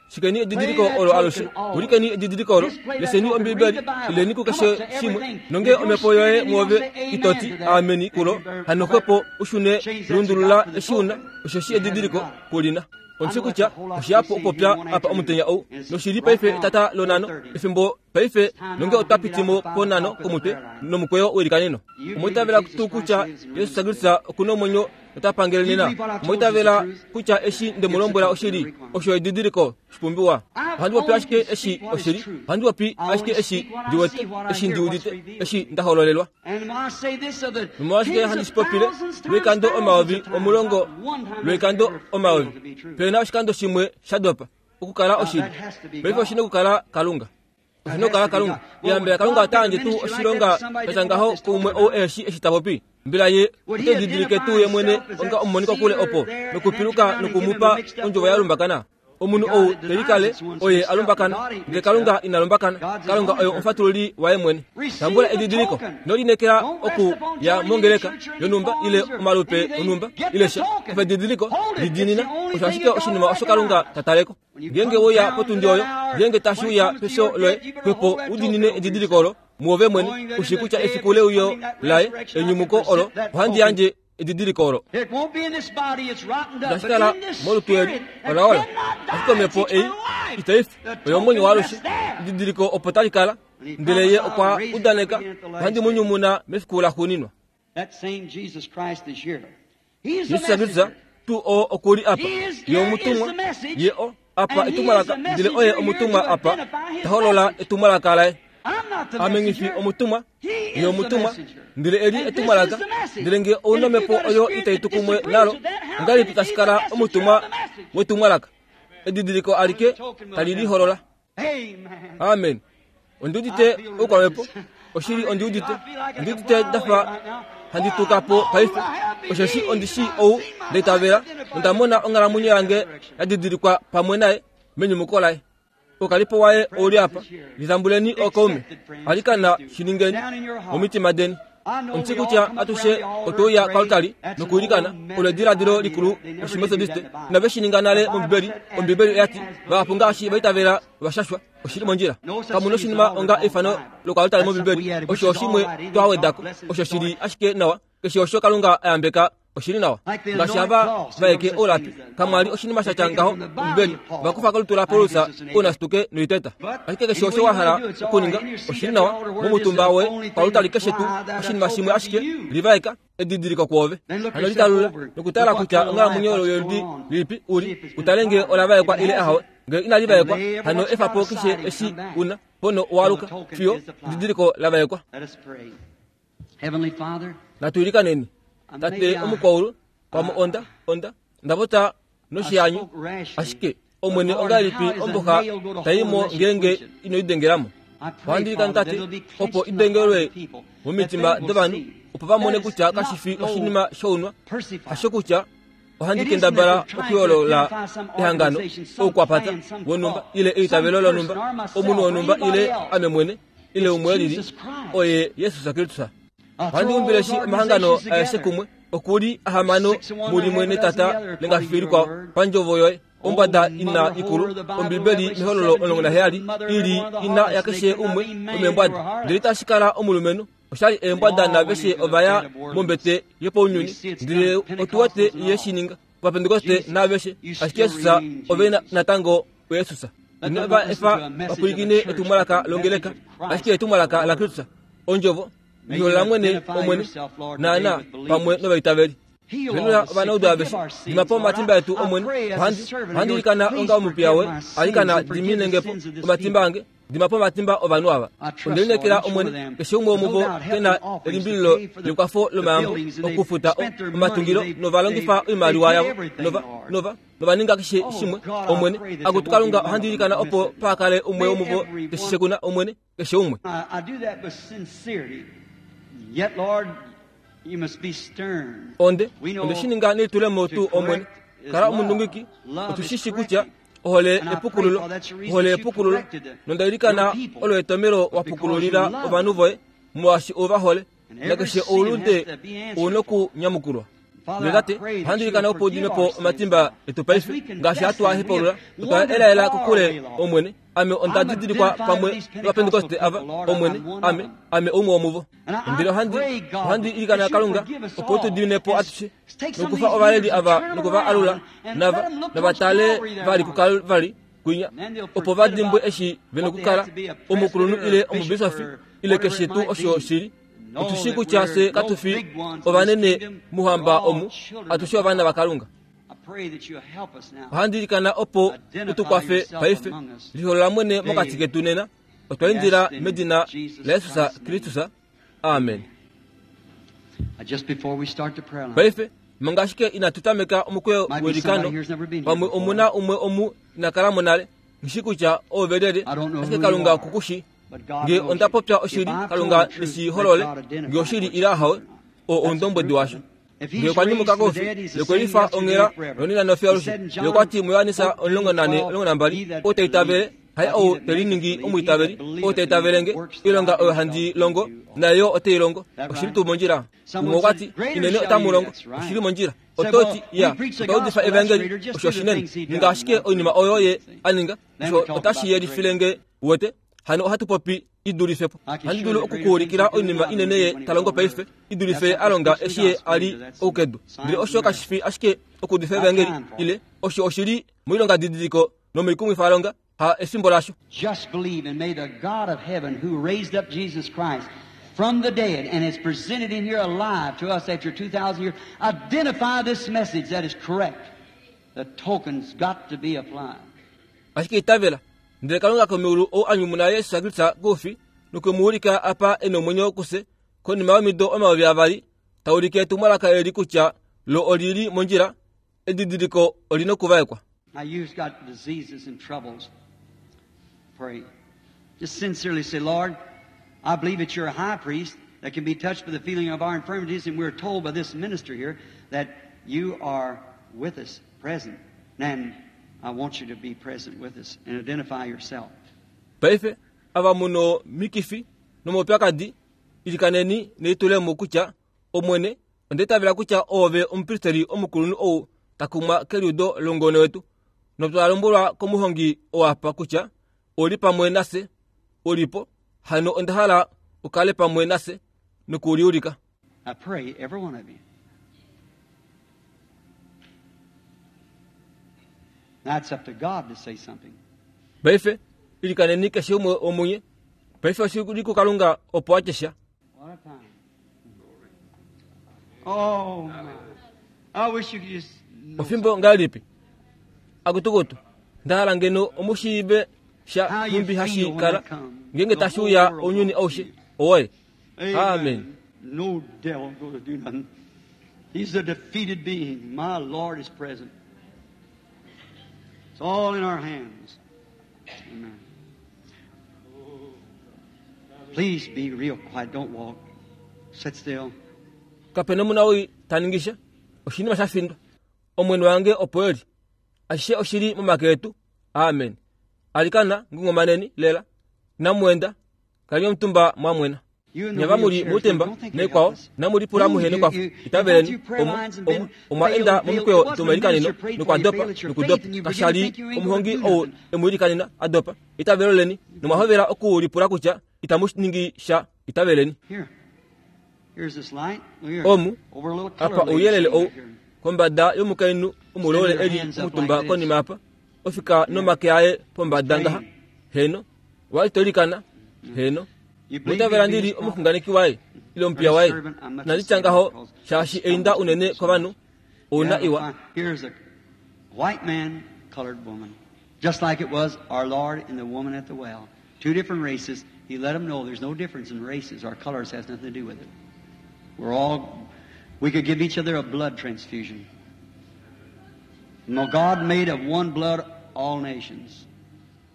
Speaker 2: Shikeni edidiliko olo alushe ulikeni edidiliko olo leseni Ombibeli ileni kukeshe shimwe nonge omhepo yoye muove itoti ameni kulo hano xwepo ushune lundulula eshi una osheshi edidiliko kulina. Ondishi kutya oshihapu okupopya apa omutenya ou noshili paife etata lonano efimbo paife nonge otwa pitimo ponano komutwe nomukweyo welikaneno. Omwiitavela tuu kutya Jesus Kristus okuna omwenyo ota pangele nena. Omwiitavela kutya eshi ndemulombwela oshili osho edidiliko shipumbiwa. Ohandi popi ashike eshi oshili ohandi popi ashike eshi ndiwete eshi ndiudite eshi ndahololelwa. Nomolwashike handi shipopile lwoikando omayovi omulongo lwoikando omayovi pena oshikando shimwe sha dopa okukala oshili. Paife oshina okukala Kalunga. Oshinokala Kalunga. Yambela Kalunga otayandje tuu oshilonga shatya ngaho kuumwe ou eshi eshi ta popi. Mbela ye ote didilike tuu ye mwene onga omumonika kule opo nokupiluka nokumupa ondjovo ya lumbakana. Omunhu ou telikale oye alumbakana, ndele Kalunga ina lumbakana. Kalunga oye omufatululi waye mwene. Tambula edidiliko, nolinekela oku ya mongeleka yonumba ile omalupe onumba ile sha. Kufa edidiliko lidinina, osho ashike oshinima osho Kalunga tataleko. Ngenge woya potundi oyo, ngenge tashuya pesho loye, kwepo udinine edidiliko olo muove mwene, ushi kutya efiku leuyo laye enyumuko olo, ohandi yandje edidiliko olo. Itashikala molutu eli olaola, ashike omhepo ei itaifi oyo omwenyo waalushe. Edidiliko opo tali kala, ndele ye okwa udaneka ohandi mu nyumuna mefiku laxuuninwa. Jesus Kristus tuu oo okuli apa, ye omutumwa, ye o apa etumwalaka, ndele oye omutumwa apa ta holola etumwalaka laye. Ame ngifi omutumwa, ye omutumwa, ndele eli etumwalaka, ndele nge ouna omhepo oyo itai tu kumwe nalo, ongahelipi tashi kala omutumwa wetumwalaka? Edidiliko alike tali liholola. Amen. Ondi udite oukwamhepo, oshili ondi udite, ondi udite ndafa handi tuka po paife, osheshi ondi shii ou ndaitavela, onda mona onghalamwenyo yange ya didilikwa pamwe naye menyumuko laye. Okalipo waye ouli apa, litambuleni okaume, alikana shiningeni momitima deni. Omushi kutya atushe otouya kalutali nokuilikana olo ediladilo likulu loshimethodiste. Inave shininga nale mOmbibeli. Ombibeli oyati vahapu ngaashi vaitavela vashashwa. Oshili mondjila. Kamuna oshinima onga eifano lokalutali mOmbibeli. Osho oshimwe twawedako, osho shili ashike nawa. Keshe osho Kalunga ayambeka oshili nawa. Ngaashi ava vaeke olapi, kamwali oshinima shatya ngaho Ombibeli. Vakufa kolutu la Paulus ounasituke noiteta. Ashike keshe osho wa hala okuninga oshili nawa momutumba woye kalutali keshe tuu oshinima shimwe ashike livaeka edidiliko kwoove. Hano litalula nokutala kutya onghalamwenyo yoludi lilipi uli, utale nge olavaekwa ile ahawe. Nge inali vaekwa, hano efapo keshe eshi una pono owaluka fiyo edidiliko lavaekwa. Natuilikaneni. Tate omukwaulu pamwe onda onda ndavota noshiyanyu, ashike omwene ongahelipi omboxa taimo ngenge inoidengelamo. Ohandilikana tate opo idengelwe momitima dovanhu, opo vamone kutya kashifi oshinima shounwa, hasho kutya ohandi kendabala okuyoolola ehangano oukwapata wonumba ile eitavelo lonumba, omunhu wonumba ile ame mwene ile umwe lili, oye Jesus Kristus. Ohandi umbile shi omahangano aeshe kumwe, okuli ahamano mulimwe netata lengafifi likwao pandjovo yoye. Ombwada ina ikulu, Ombibeli mehololo omulongo naheyali ili ina yakeshe umwe omeembwada, ndele itashi kala omulumenhu oshali eembwada naveshe ovaya mombete yopounyuni, ndele otuwete ye shininga Ovapentekoste naveshe, ashike Jesus ove natango oYesus. Inava efa vapulikine etumwalaka longeleka, ashike etumwalaka la Kristus, ondjovo liholola mwene omwene naana pamwe novaitaveli. Venula ovanaudu aveshe, dimapo omatimba etu omwene. Ohandi ilikana onga omupiya woye, alikana diminengepo omatimba ange, dimapo omatimba ovanhu ava. Ondelinekela omwene keshe umwe womuvo kena elimbililo lekwafo lomayambo okufuta omatungilo novalongifa oimaliwa yavo nova nova novaninga keshe shimwe omwene. Akutu Kalunga, ohandi ilikana opo paakale umwe womuvo keshe kuna omwene keshe umwe. Onde onde shininga nelitulemo tuu omwene. Kala omundungiki, otushishi kutya ohole epukululo, ohole epukululo, nondailikana olo etomelo wapukululila ovanhu voye molwaashi ovahole, nakeshe oulunde ouna okunyamukulwa. Ndele tate, ohandi ilikana opo udimepo omatimba etu paife, ngaashi hatu a hepaulula, otwa elaela kokule omwene. Ame onda didilikwa pamwe novapentekoste ava omwene, ame ame umwe womuvo. Ndele ohandi ohandi ilikana Kalunga opo tu dinepo atushe nokufa ovaleli ava nokuva alula nava navatale vali kuKalvari kwinya, opo va dimbwe eshi vena okukala omukulunhu ile omubisofi ile keshe tuu osho shili. Otushi kutya fye katufi ovanene muhamba omu, atushe ovana vaKalunga. Ohandi ilikana opo utukwafe paife, liholola mwene mokati ketu nena. Otwa indila medina laJesus Kristus. Amen. Paife manga ashike inatu tameka omukweyo welikano, pamwe omuna umwe omu inakala mo nale, ngishi kutya ovelele, ashike Kalunga okukushi. Nge onda popya oshili, Kalunga neshi holole. Nge oshili ile ahawe, oo oundombwedi washo. Nge okwa nyumuka koufi, ye okwe lifa onghela nonena nofiyo alushe. Ye okwa ti muJohannes omulongo nane omulongo nambali, ou ta itavele, haye ou te liningi omwiitaveli, ou ta itavele nge, oilonga oyo handi longo, naye yo ote i longo. Oshili tuu mondjila. Umwe okwa ti, inene otamu longo, oshili mondjila. Oto ti, ya, otwa udifa evangeli, osho oshinene. Ninga ashike oinima oyo ye a ninga, osho otashi yelifile nge, uwete. Hano ohatu popi idulife po. Ohandi dulu okukuulikila oinima inene ye ta longo paife, idulife ye a longa eshi ye a li oukedu. Ndele osho kashi fi ashike okuudifa evangeli, ile osho oshili moilonga didiliko nomoikumwifalonga, ha efimbo lasho.
Speaker 1: Just believe, and may the God of heaven who raised up Jesus Christ from the dead and has presented him here alive to us after two thousand years, identify this message that is correct. The token's got to be applied.
Speaker 2: Ashike itavela, ndele Kalunga komeulu ou a nyumuna Yesu Kristus koufi nokwe mu ulika apa e nomwenyo kufye konima yomido omayovi avali, ta ulike etumwalaka eli kutya lo olili mondjila, edidiliko olina okuvaekwa.
Speaker 1: Now you've got diseases and troubles. Pray. Just sincerely say, Lord, I believe that you're a high priest that can be touched by the feeling of our infirmities, and we're told by this minister here that you are with us, present. And I want you to be present with us and identify yourself.
Speaker 2: Paife, ava muno mikifi nomaupyakadi, ilikaneni neitulemo kutya Omwene, onda itavela kutya oove omupristeli omukulunhu ou ta kumwa keliudo longono wetu, notwa lombwelwa komuhongi owapa kutya oli pamwe nafye, ulipo, hano onda hala ukale pamwe nafye nokuliulika.
Speaker 1: I pray every one of you. Now it's up to God to say something.
Speaker 2: Paife, ilikaneni keshe umwe womunye. Paife oshili kuKalunga opo a tye sha.
Speaker 1: What a time. Oh, my. I wish you could just know
Speaker 2: Ofimbo ngahelipi? Akutukutu, nda hala ngeno omushiive sha nhumbi hashi kala, ngeenge tashi uya ounyuni aushe. Owoye. Amen.
Speaker 1: No devil gonna do nothing. He's a defeated being. My Lord is present. It's all in our hands. Amen. Please be real quiet. Don't walk. Sit still.
Speaker 2: Kapena omuna ou ta ningi sha. Oshinima sha findwa. Omwene wange opo eli. Ashishe oshili momake etu. Amen. Alikana ngungumaneni lela. Namwenda kaleni omutumba mwamwena. Nyava muli mutemba nekwao namulipula muhene kwafo. Itaveleni omu omu omwa enda momikweyo tumelikanino nokwadopa nokudopa kashali omuhongi ou emuilikanina adopa. Itavelo leni nomwahovela okuulipula kutya itamu ningi sha. Itaveleni.
Speaker 1: Here. Here's this light. Look here.
Speaker 2: Omu
Speaker 1: Over a little color
Speaker 2: apa
Speaker 1: lady
Speaker 2: ouyelele
Speaker 1: sitting
Speaker 2: ou
Speaker 1: back here.
Speaker 2: kombada yomukainhu omulole eli omutumba konima apa ofika nomake aye pombada ngaha. Heno walitolikana. Heno
Speaker 1: You believe
Speaker 2: mwitavela
Speaker 1: me to be
Speaker 2: ndili
Speaker 1: his prophet?
Speaker 2: omuxunganeki waye ile omupiya waye. Nanditya ngaho shaashi einda unene kovanhu ouna iwa.
Speaker 1: Here's a white man, colored woman. Just like it was our Lord and the woman at the well. Two different races. He let them know there's no difference in races. Our colors has nothing to do with it. We're all, we could give each other a blood transfusion. No, God made of one blood all nations.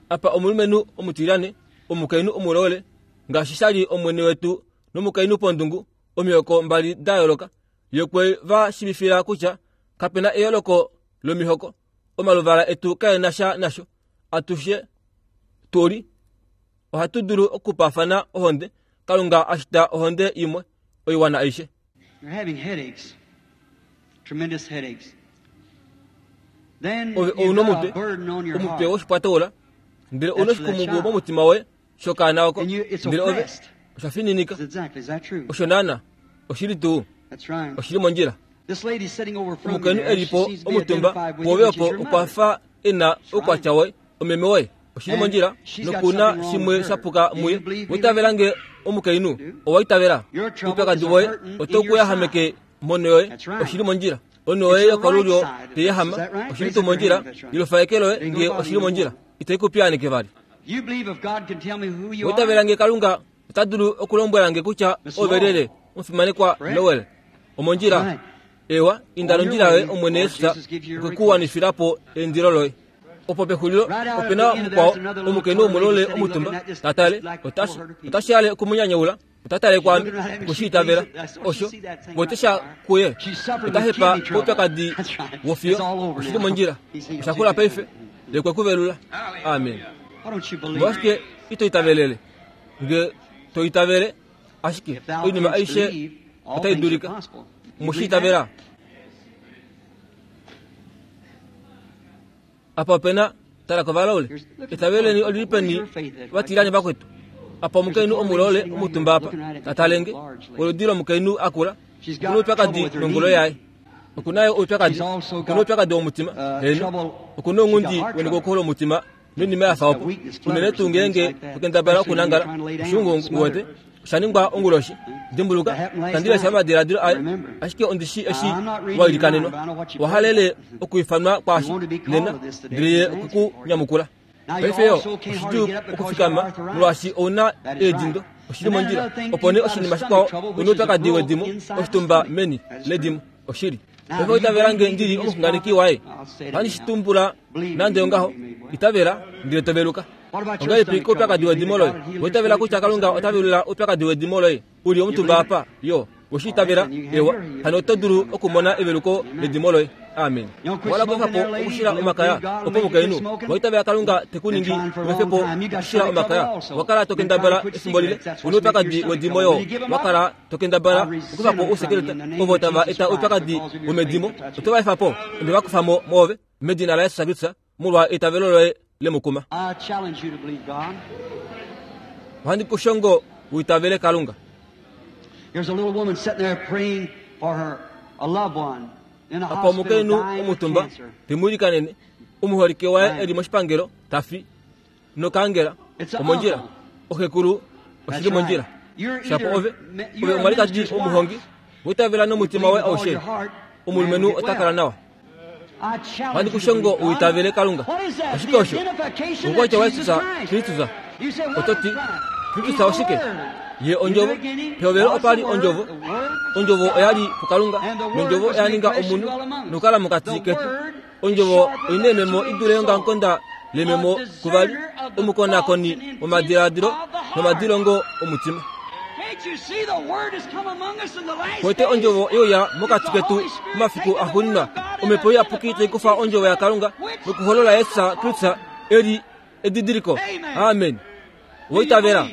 Speaker 2: Apa omulumenhu omutilane, omukainhu omulole, ngaashi shali omwene wetu nomukainhu pondungu, omihoko mbali da yooloka. Ye kwe va shiivifila kutya kapena eyooloko lomihoko, omaluvala etu kaena sha nasho. Atushe tuli ohatu dulu okupaafana ohonde. Kalunga ashita ohonde imwe oiwana aishe.
Speaker 1: You're having headaches, tremendous headaches. Then
Speaker 2: Ove
Speaker 1: you've
Speaker 2: ouna
Speaker 1: got
Speaker 2: omutwe,
Speaker 1: a burden on your
Speaker 2: omutwe
Speaker 1: heart.
Speaker 2: woshipwataula, ndele ouna
Speaker 1: That's for that
Speaker 2: oshikumungu
Speaker 1: child.
Speaker 2: momutima woye shokaana oko,
Speaker 1: And you, it's
Speaker 2: ndele ove
Speaker 1: oppressed.
Speaker 2: osha fininika.
Speaker 1: Exactly. Is that true?
Speaker 2: Osho naana oshili tuu,
Speaker 1: That's right.
Speaker 2: oshili mondjila.
Speaker 1: This lady sitting over from you
Speaker 2: Omukainhu
Speaker 1: there, she
Speaker 2: elipo
Speaker 1: seems to be
Speaker 2: omutumba
Speaker 1: identified with you,
Speaker 2: pwoove
Speaker 1: which is
Speaker 2: opo
Speaker 1: your
Speaker 2: okwa
Speaker 1: mother.
Speaker 2: fa ena oukwatya woye, omeme woye. Oshili
Speaker 1: And
Speaker 2: mondjila
Speaker 1: she's got
Speaker 2: nokuna
Speaker 1: something wrong
Speaker 2: shimwe
Speaker 1: with her.
Speaker 2: shapuka
Speaker 1: Do you
Speaker 2: muye.
Speaker 1: believe me,
Speaker 2: Witavela
Speaker 1: lady?
Speaker 2: nge omukainhu owaitavela.
Speaker 1: Your trouble
Speaker 2: Oupyakadi
Speaker 1: is a
Speaker 2: woye
Speaker 1: hurting in
Speaker 2: oto
Speaker 1: your
Speaker 2: kuyahameke
Speaker 1: side.
Speaker 2: mono yoye.
Speaker 1: That's right.
Speaker 2: Oshili mondjila. Ono
Speaker 1: It's
Speaker 2: yoye
Speaker 1: your
Speaker 2: yokolulyo
Speaker 1: right side.
Speaker 2: teyahama.
Speaker 1: Is that right?
Speaker 2: Oshili
Speaker 1: Raise
Speaker 2: tuu
Speaker 1: up your
Speaker 2: mondjila.
Speaker 1: hand if that's right.
Speaker 2: Ilofa eke loye
Speaker 1: Then
Speaker 2: nge
Speaker 1: go bother
Speaker 2: oshili
Speaker 1: you
Speaker 2: mondjila.
Speaker 1: more.
Speaker 2: Itai kupiyanike vali.
Speaker 1: You believe if God can tell me who you
Speaker 2: Witavela
Speaker 1: are?
Speaker 2: nge Kalunga ota dulu okulombwela nge kutya
Speaker 1: Miss
Speaker 2: ove
Speaker 1: Lowell.
Speaker 2: lyelye omufimanekwa
Speaker 1: Correct?
Speaker 2: Lowell. Omondjila.
Speaker 1: Right.
Speaker 2: Ewa, inda
Speaker 1: On your
Speaker 2: nondjila yoye
Speaker 1: way,
Speaker 2: Omwene
Speaker 1: Lord
Speaker 2: Yesus
Speaker 1: Jesus gives you your
Speaker 2: okwe ku wanifilapo eindilo loye. Opo pexulilo opena mukwao omukainhu womulole omutumba tatale otashi otashi hale okumunyanyaula otatale kwame okushiitavela osho votesha kuye otahepa koupyakadi wofiyo oshili mondjila oshakula paife lekwekuvelula. Amen. Omolwashike ito itavelele nge to itavele ashike oinima aishe otai dulika mushiitavela. Apa opena tala kovalaule itaveleni olilipeni vatilani vakwetu. Apa omukainhu omulole omutumba apa tatalenge oludi lomukainhu akula okuna oupyakadi nongolo yaye okunayo oupyakadi okuna oupyakadi womutima heno okuna ongundi wenikokola omutima noinima yafa opo unene tuu ngeenge tokendabala okunangala oshungu uwete oshaningwa onguloshi. Dimbuluka tandilesha omadiladilo aye ashike ondishi eshi wailikanenwa wahalele okuifanwa kwaashi nena ndele ye okukunyamukula. Paife yo oshidjuu okufikama molwaashi ouna eedindo oshili mondjila. Opo nee oshinima shikwao ouna oupyakadi wedimo oshitumba meni ledimo oshili. Paife itavela nge ndili omuxunganeki waye ohandi shitumbula nande ongaho itavela ndele toveluka. Ongahelipi koupyakadi wedimo loye? Oitavela kutya Kalunga ota velula oupyakadi wedimo loye uli omutumba apa yo woshiitavela ewa hano oto dulu okumona eveluko ledimo loye. Amen. Wala kuefapo okushila omakaya opo mukainhu waitavela Kalunga tekuningi uefepo okushila omakaya wakala tokendabala efimbo lile una oupyakadi wedimo yo wakala tokendabala okufapo ousekeleta ovo tava eta oupyakadi womedimo oto va efapo onde vakufamo moove medina laYesus Kristus molwa eitavelo loye lemukuma. Ohandi kushongo uitavele Kalunga. Apa omukainhu omutumba temuilikanene omuholike waye eli moshipangelo tafi nokangela omondjila oxekulu oshili mondjila shapo ove ove omwalikadi omuhongi uitavela nomutima waye aushe omulumenhu ota kala nawa. Ohandi kushongo uitavele Kalunga. Oshike osho? Oukwatya waYesus Kristus. Oto ti Kristus oshike? Ye ondjovo. Pehovelo opa li ondjovo. Ondjovo oya li puKalunga nondjovo oya ninga omunhu nokukala mokati ketu. Ondjovo oina ememo i dule yongamukonda lememo kuvali omukonakoni womadiladilo nomadilongo omutima. Kwete ondjovo youya mokati ketu momafiku axuuninwa omhepo iyapuki tai kufa ondjovo yaKalunga nokuholola Yesus Kristus eli edidiliko. Amen. Woitavela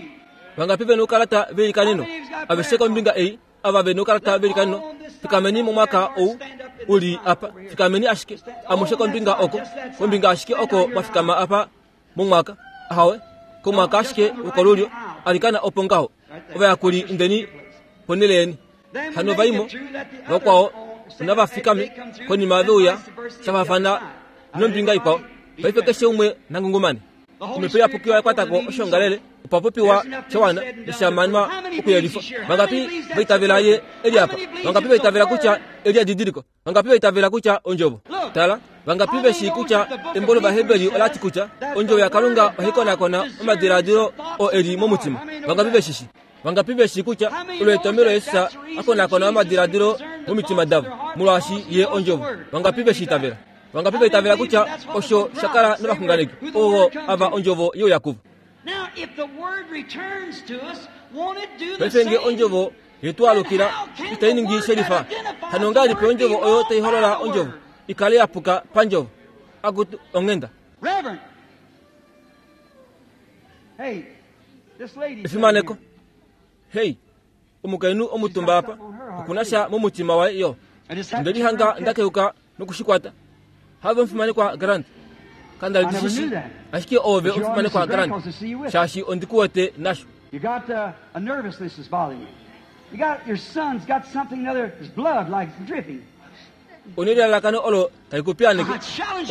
Speaker 2: vangapi vena oukalata veilikaneno aveshe kombinga ei ava vena oukalata veilikaneno fikameni momwaka ou uli apa fikameni ashike amushe kombinga oko kombinga ashike oko mwafikama apa momwaka ahawe komwaka ashike wokolulyo alikana opo ngaho ovayakuli indeni ponele yeni hano vaimo vakwao navafikame konima veuya shafafana nombinga ikwao. Paife keshe umwe nangungumane. Omhepo iyapuki oyakwatako oshongalele opa popiwa shawana neshamanwa okuyelifwa. Vangapi vaitavela ye eli apa? Vangapi vaitavela kutya eli edidiliko? Vangapi vaitavela kutya ondjovo? Tala, vangapi veshi kutya embo lOvaheberi olati kutya ondjovo yaKalunga ohai konakona omadiladilo oo eli momutima? Vangapi veshishi? Vangapi veshi kutya olwetomelo Yesus akonakona omadiladilo momitima davo molwaashi ye ondjovo? Vangapi veshiitavela? Vangapi vaitavela kutya osho shakala novaxunganeki ovo ava ondjovo youyakuvo? Paife nge ondjovo yetualukila itai ningi shelifa hano ngahelipi ondjovo oyo tai holola ondjovo ikale yapuka pandjovo? Akutu onghenda. Efimaneko. Hei, omukainhu omutumba apa okuna sha momutima waye yo ndelihanga ndakeuka nokushikwata. Have omufimanekwa Grant kandali ashike ove omufimanekwa Grant shaashi ondikuwete nasho.
Speaker 1: You got uh, a nervousness is bothering you. You got your son's got something other his blood like dripping.
Speaker 2: Onelilalakano olo tali kupiyaneke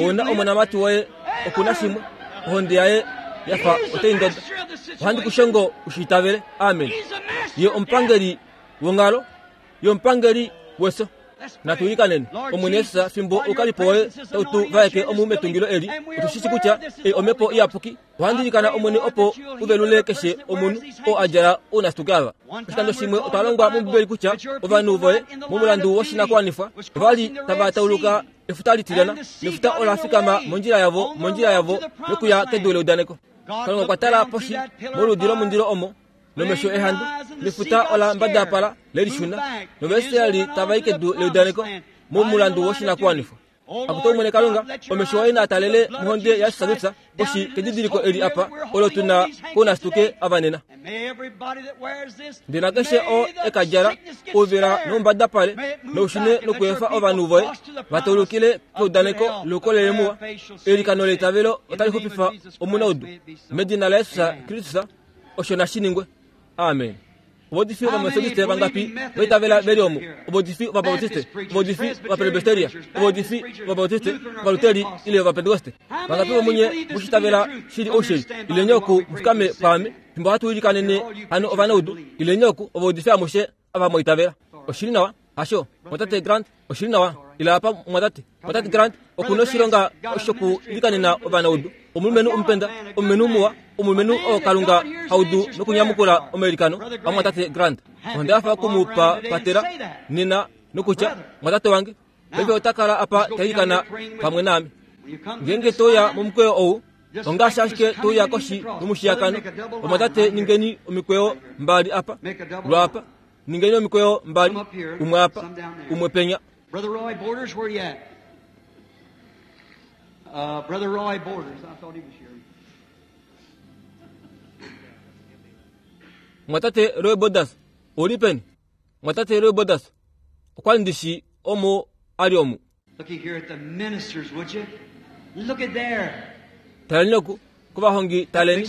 Speaker 2: ouna omonamati woye okuna shimwe ohonde yaye yafa otai ndoda. Ohandi kushongo ushiitavele. Amen. Ye omupangeli wongalo ye omupangeli weso. Natuilikaneni Omwene Yesus fimbo oukalipo woye tautu vaeke omu metungilo eli otushishi kutya ei omhepo iyapuki. Ohandilikana Omwene opo uvelule keshe omunhu oo adjala ounasituke ava. Oshikando shimwe otwa longwa mOmbibeli kutya ovanhu voye momulandu woshinakuwanifwa ovali tava tauluka Efuta litilyana nefuta ola fikama mondjila yavo mondjila yavo yokuya kedu leudaneko. Kalunga okwa tala poshi moludi lomundilo omo nomesho ehandu nefuta ola mbadapala lelishuna nOvaisraeli tava i kedu leudaneko momulandu woshinakuwanifwa. Akuto omwene Kalunga omesho oye naatalele mohonde yaJesus Kristus poshi kedidiliko eli apa olo tuna kounasituke ava nena. Ndele nakeshe oo ekadjala ouvela noumbadapale noushune nokuefa ovanhu voye vataulukile keudaneko loukolele muwa. Eilikano leitavelo otali xupifa omunaudu medina laJesus Kristus osho nashi ningwe. Amen. Ovaudifi Ovametodiste vangapi vaitavela veli omu? Ovaudifi Ovabautiste, ovaudifi Ovapresbiteria, ovaudifi Ovabautiste, Ovaluteri ile Ovapentekoste vangapi vomunye mushitavela shili oushili? Ileni oku mufikame pwaame fimbo hatu ilikanene hano ovanaudu. Ileni oku ovaudifi amushe ava mwaitavela. Oshili nawa hasho mwatate Grant? Oshili nawa ila apa mwatate mwatate Grant okuna oshilonga shokuilikanena ovanaudu. Omulumenhu omupenda, omulumenhu muwa, omulumenhu oo Kalunga haudu nokunyamukula omailikano amwatate Grant. Onda hafa okumupa patela nena nokutya mwatate wange paife ota kala apa tailikana pamwe naame. Ngeenge toya momukweyo ou ongaashi ashike toya koshi yomushiyakano. Omwatate ningeni omikweyo mbali apa lwapa, ningeni omikweyo mbali, umwe apa umwe penya.
Speaker 1: Brother Roy Borders, where you at? Uh, Brother Roy Borders, I thought he was here.
Speaker 2: Mwatate Roy Borders, oli peni? Mwatate Roy Borders, okwa ndishi omo ali omu.
Speaker 1: Looking here at the ministers, would you? Look at there.
Speaker 2: Taleni oku, kovahongi taleni,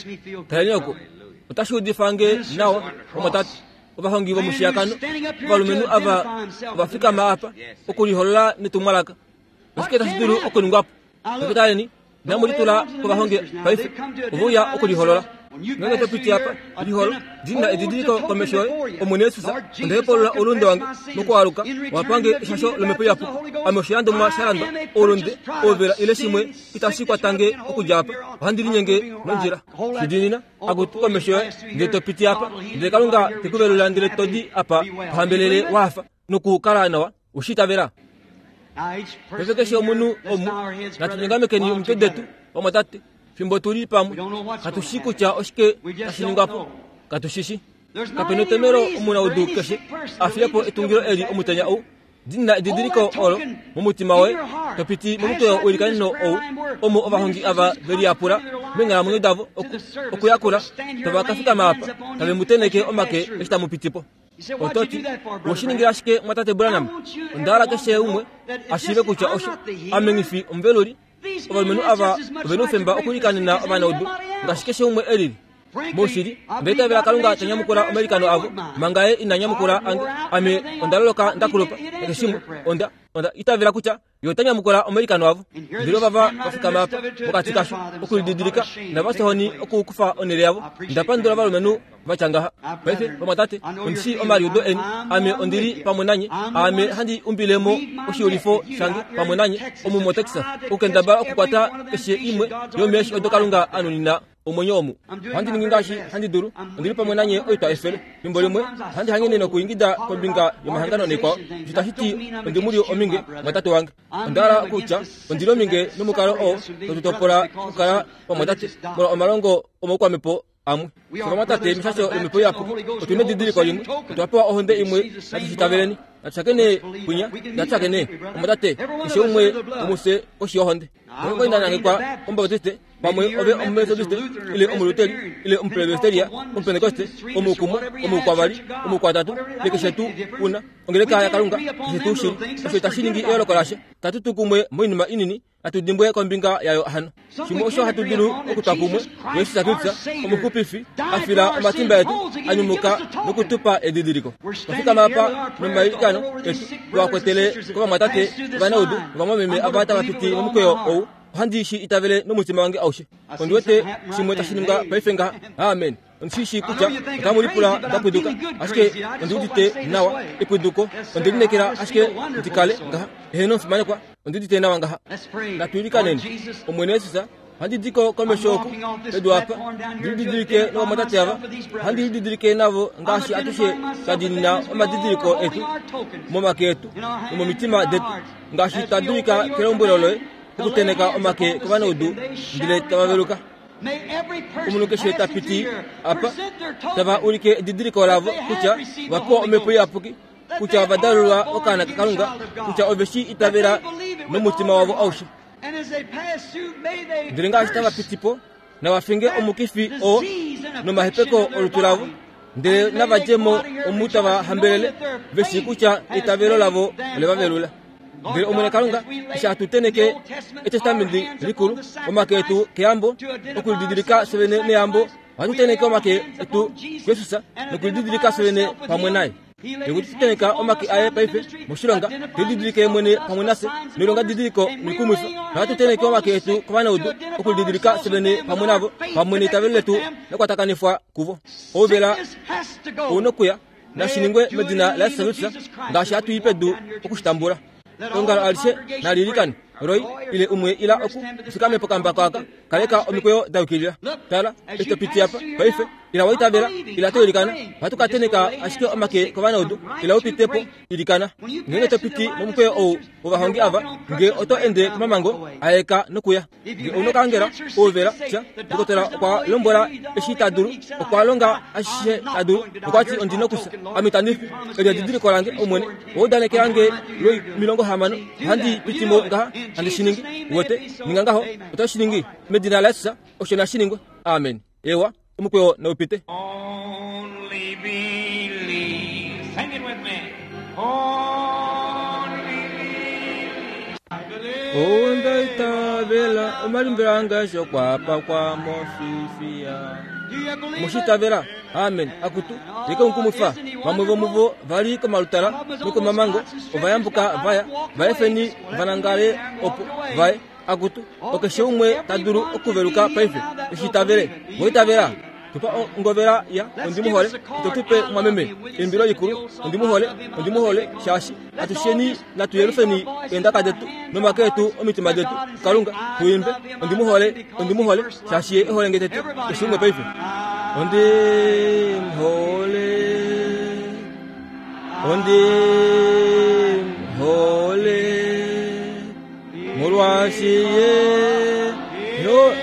Speaker 2: taleni oku. Otashi udifa nge nawa, omwatate, ovahongi vomushiyakano, ovalumenhu ava ovafikama apa okuliholola netumwalaka. Oshike tashi dulu okuningwapo? Taleni, namulitula kovahongi paife ovouya okuliholola. Ngenge topiti apa liholo dina edidiliko komesho yoye Omwene Yesus onda hepolola oulunde wange mokualuka wapange eshasho lomhepo iyapuki. Ame oshilandomwa sha landwa oulunde ouvela ile shimwe itashi kwatange okudja apa. Ohandi linyenge nondjila shidinina akutu komesho yoye ndele topiti apa ndele Kalunga tekuvelula ndele todi apa tohambelele wafa nokukala nawa ushitavela. Paife keshe omunhu omu natunyongamekeni omitwe detu vamwatate fimbo tuli pamwe. Katushi kutya oshike tashi ningwapo, katushishi. Kapena etomhelo omunaudu keshe afiyepo etungilo eli omutenya ou. Dina edidiliko olo momutima woye topiti momukweyo uilikaneno ou omo ovahongi ava veliyapula meenghalamwenyo davo okuyakula tova kafikama apa tave muteneke omake eshi tamupitipo. Ototi woshiningira ashike mwatate Branham? Onda hala keshe umwe ashiive kutya osho ame ngifi omuveluli. Ovalumenhu ava ovena oufemba okulikanena ovanaudu ngaashi keshe umwe elili. Moshili ndaitavela Kalunga tanyamukula omailikano avo manga ye ina nyamukula ange. Ame onda loloka ndakulupa keshe shimwe onda onda itavela kutya yo tanyamukula omailikano avo. Ndele ovava vafikama apa mokati kasho okulididilika navasehoni okukufa onhele yavo. Ndapandula ovalumenhu vatya ngaha. Paife vamwatate, ondishi omaliudo eni. Ame ondili pamwe nanye. Ame handi umbilemo oshiulifo shange pamwe nanye omu moTexas okukendabala okukwata keshe imwe yomeeshi odo Kalunga anunina omwenyo omu. Ohandi ningi ngaashi handi dulu. Ondili pamwe nanye oitwa efele. Fimbo limwe ohandi hangene nokuingida kombinga yomahangano naikwao. Osho tashi ti ondimuli ominge mwatate wange. Onda hala kutya ondili ominge nomukalo oo totutopola okukala pamwatate molwa omalongo omoukwamhepo amwe. Vamwatate meshasho lomhepo iyapuki otuna edidiliko limwe. Otwa pewa ohonde imwe natushitaveleni. Natushakene kwinya, natushakene omwatate keshe umwe womufye koshi yohonde. Okwali nangekwa Omubautiste pamwe ove Omumetodiste ile Omuluteri ile Omupresbiteria Omupentekoste omukumwe omukwavali omukwatatu ile keshe tuu una ongeleka yaKalunga keshe tuu shili. Osho itashi ningi eyooloko lasha. Katutu kumwe moinima inini natudimbwe kombinga yayo hano. Shimwe osho hatu dulu okutwa kumwe Jesus Kristus omuxupifi afila omatimba etu anyumuka nokutupa edidiliko. Twafikama apa nomailikano etu twakwetele kovamwatate ovanaudu novamwameme ava tava piti momukweyo ou. Ohandi shi itavele nomutima wange aushe. Ondi wete shimwe tashi ningwa paife ngaha. Amen. Ondishishi kutya otamulipula ndapwiduka ashike ondiudite nawa epwiduko. Ondilinekela ashike ndikale ngaha. Eheno omufimanekwa, ondiudite nawa ngaha. Natuilikaneni Omwene Yesus Ohandi di ko komesho oku pedu apa ndilididilike novamwatate ava, ohandi lididilike navo ngaashi atushe twa diinina omadidiliko etu momake etu nomomitima detu, ngaashi twa dulika kelombwelo loye okuteneka omake kovanaudu ndele tava veluka. Omunhu keshe ta piti apa tava ulike edidiliko lavo kutya va pewa omhepo iyapuki, kutya ova dalulwa okaana kaKalunga, kutya ove shi itavela nomutima wavo aushe. Ndele ngaashi tava piti po, nava finge omukifi oo nomahepeko olutu lavo, ndele nava dje mo omu tava hambelele, ve shii kutya eitavelo lavo ole va velula. Ndele Omwene Kalunga, eshi hatu teneke Etestamenti likulu, omake etu keyambo, okulididilika fye vene neyambo, ohatu teneke omake etu kuJesus nokulididilika fye vene pamwe naye. Nokuteneka omake aye paife moshilonga, telididilike mwene pamwe nafye noilonga didiliko noikumwifa. Nohatu teneke omake etu kovanaudu okulididilika fye vene pamwe navo, pamwe neitavelo letu lakwatakanifwa kuvo. Ouvela ou nokuya nashiningwe medina laYesus Kristus, ngaashi hatu i pedu okushitambula. Eongalo alishe nali ilikane. Roy ile umwe ila oku ufikame pokambako aka, kaleka omikweyo da yukilila. Tala, eshi to piti apa paife, ila wa itavela, ila to ilikana. Ohatu ka teneka ashike omake kovanaudu, ila u pite po, ilikana. Ngeenge to piti momukweyo ou wovahongi ava, nge oto ende komamango aeka nokuya. Nge ou nokaangela, ouvela, tya, dokotola okwa lombwela eshi ta dulu, okwa longa ashishe ta dulu, nokwati ondi nokufya. Ame itandi fi, eli edidiliko lange, Omwene, owa udanekela nge lwomilongo hamano, ohandi piti mo ngaha, handi shi ningi. Wete, ninga ngaho, oto shi ningi. Medina laJesus, osho nashi ningwe. Amen. Ewa, omukweyo nau pite.
Speaker 3: Only believe. Sing it with me. Only believe.
Speaker 2: Onda itavela omalimbelo ange asho kwapakwa mofifiya. Mushitavela. Amen. Akutu yeke nkumufa. Vamwe vomuvo vali komalutala nokomamango, ovayambuka vaya, vaefeni vanangale opo vaye. Akutu okeshe umwe ta dulu okuveluka paife. Eshitavele. Voitavela. Tupa ongovela ya ondimuhole, itotupe mwameme eimbilo likulu ondimuhole, ondimuhole shaashi atusheni natuyelufeni eendaka detu nomake etu omitima detu Kalunga tuimbe ondimuhole, ondimuhole shaashi ye ehole nge tete. Keshe umwe paife. Ondimuhole, ondimuhole, molwaashi ye ehole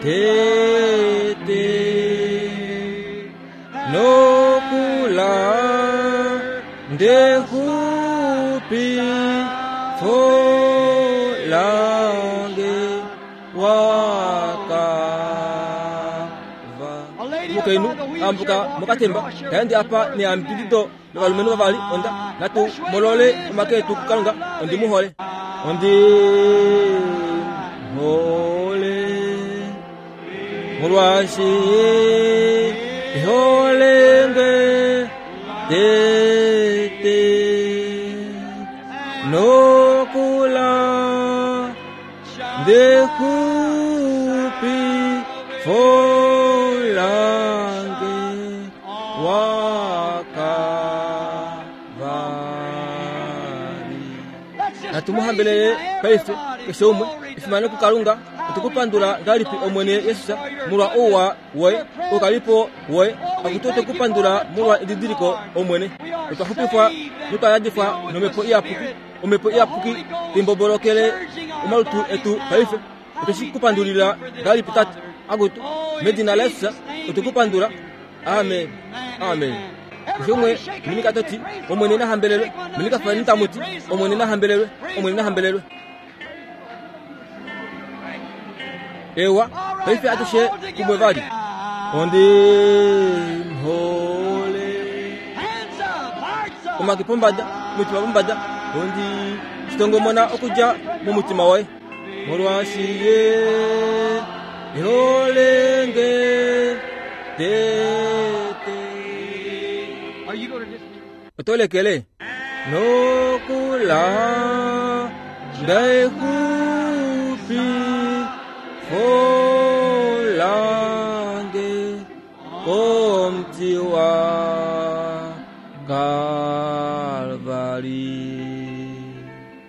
Speaker 2: tete nokula ndekupi folange wakava. Mukainhu ambuka mokatemba taende apa neyambidido lovalumenhu vavali onda natu molole omake etu kuKalunga. Ondimuhole, ondimuhole, molwaashi ehole nge tete nokula ndekupi folange wakavari. Natumuhambelele paife keshe umwe efimano kuKalunga. Otukupandula ngalipi Omwene Yesus molwa ouwa woye ukalipo woye. Akutu otukupandula molwa edidiliko Omwene. Otwa xupifwa notwa yadifwa nomhepo iyapuki. Omhepo iyapuki timbobolokele omalutu etu paife. Otweshikupandulila ngalipi Tate. Akutu medina laYesus otukupandula. Amen. Amen. Keshe umwe minika toti Omwene nahambelelwe. Minika fani tamuti Omwene nahambelelwe. Omwene nahambelelwe. Ewa, paife atushe kumwe vali. Ondimuhole. Omake pombada, omutima pombada. Ondi chitongomona okudja momutima woye. Molwaashi ye ehole nge tete. Otolekele nokula ndekupi folange komti wa Kalvari.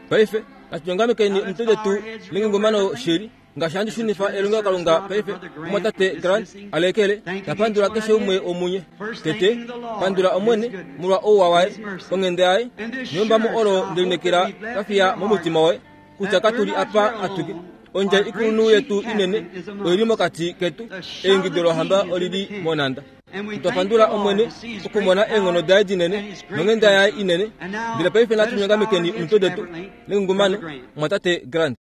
Speaker 2: Paife Natu nyongamekeni omitwe detu mengungumano shili ngaashi handi shunifa elongelokalunga paife omumwatate Grant alekele. Napandula keshe umwe womunye. Tete pandula Omwene molwa ouwa waye, onghenda yaye neyombamo olo ndelinekela kafiya momutima woye kutya katuli apa atuke. Ondjai ikulunhu yetu inene oili mokati ketu, eingido lohamba olili monhanda. Otwa pandula Omwene okumona eenghono daye dinene nonghenda yaye inene. Ndele paife natu nyongamekeni omitwe detu nengungumano, mumwatate Grant.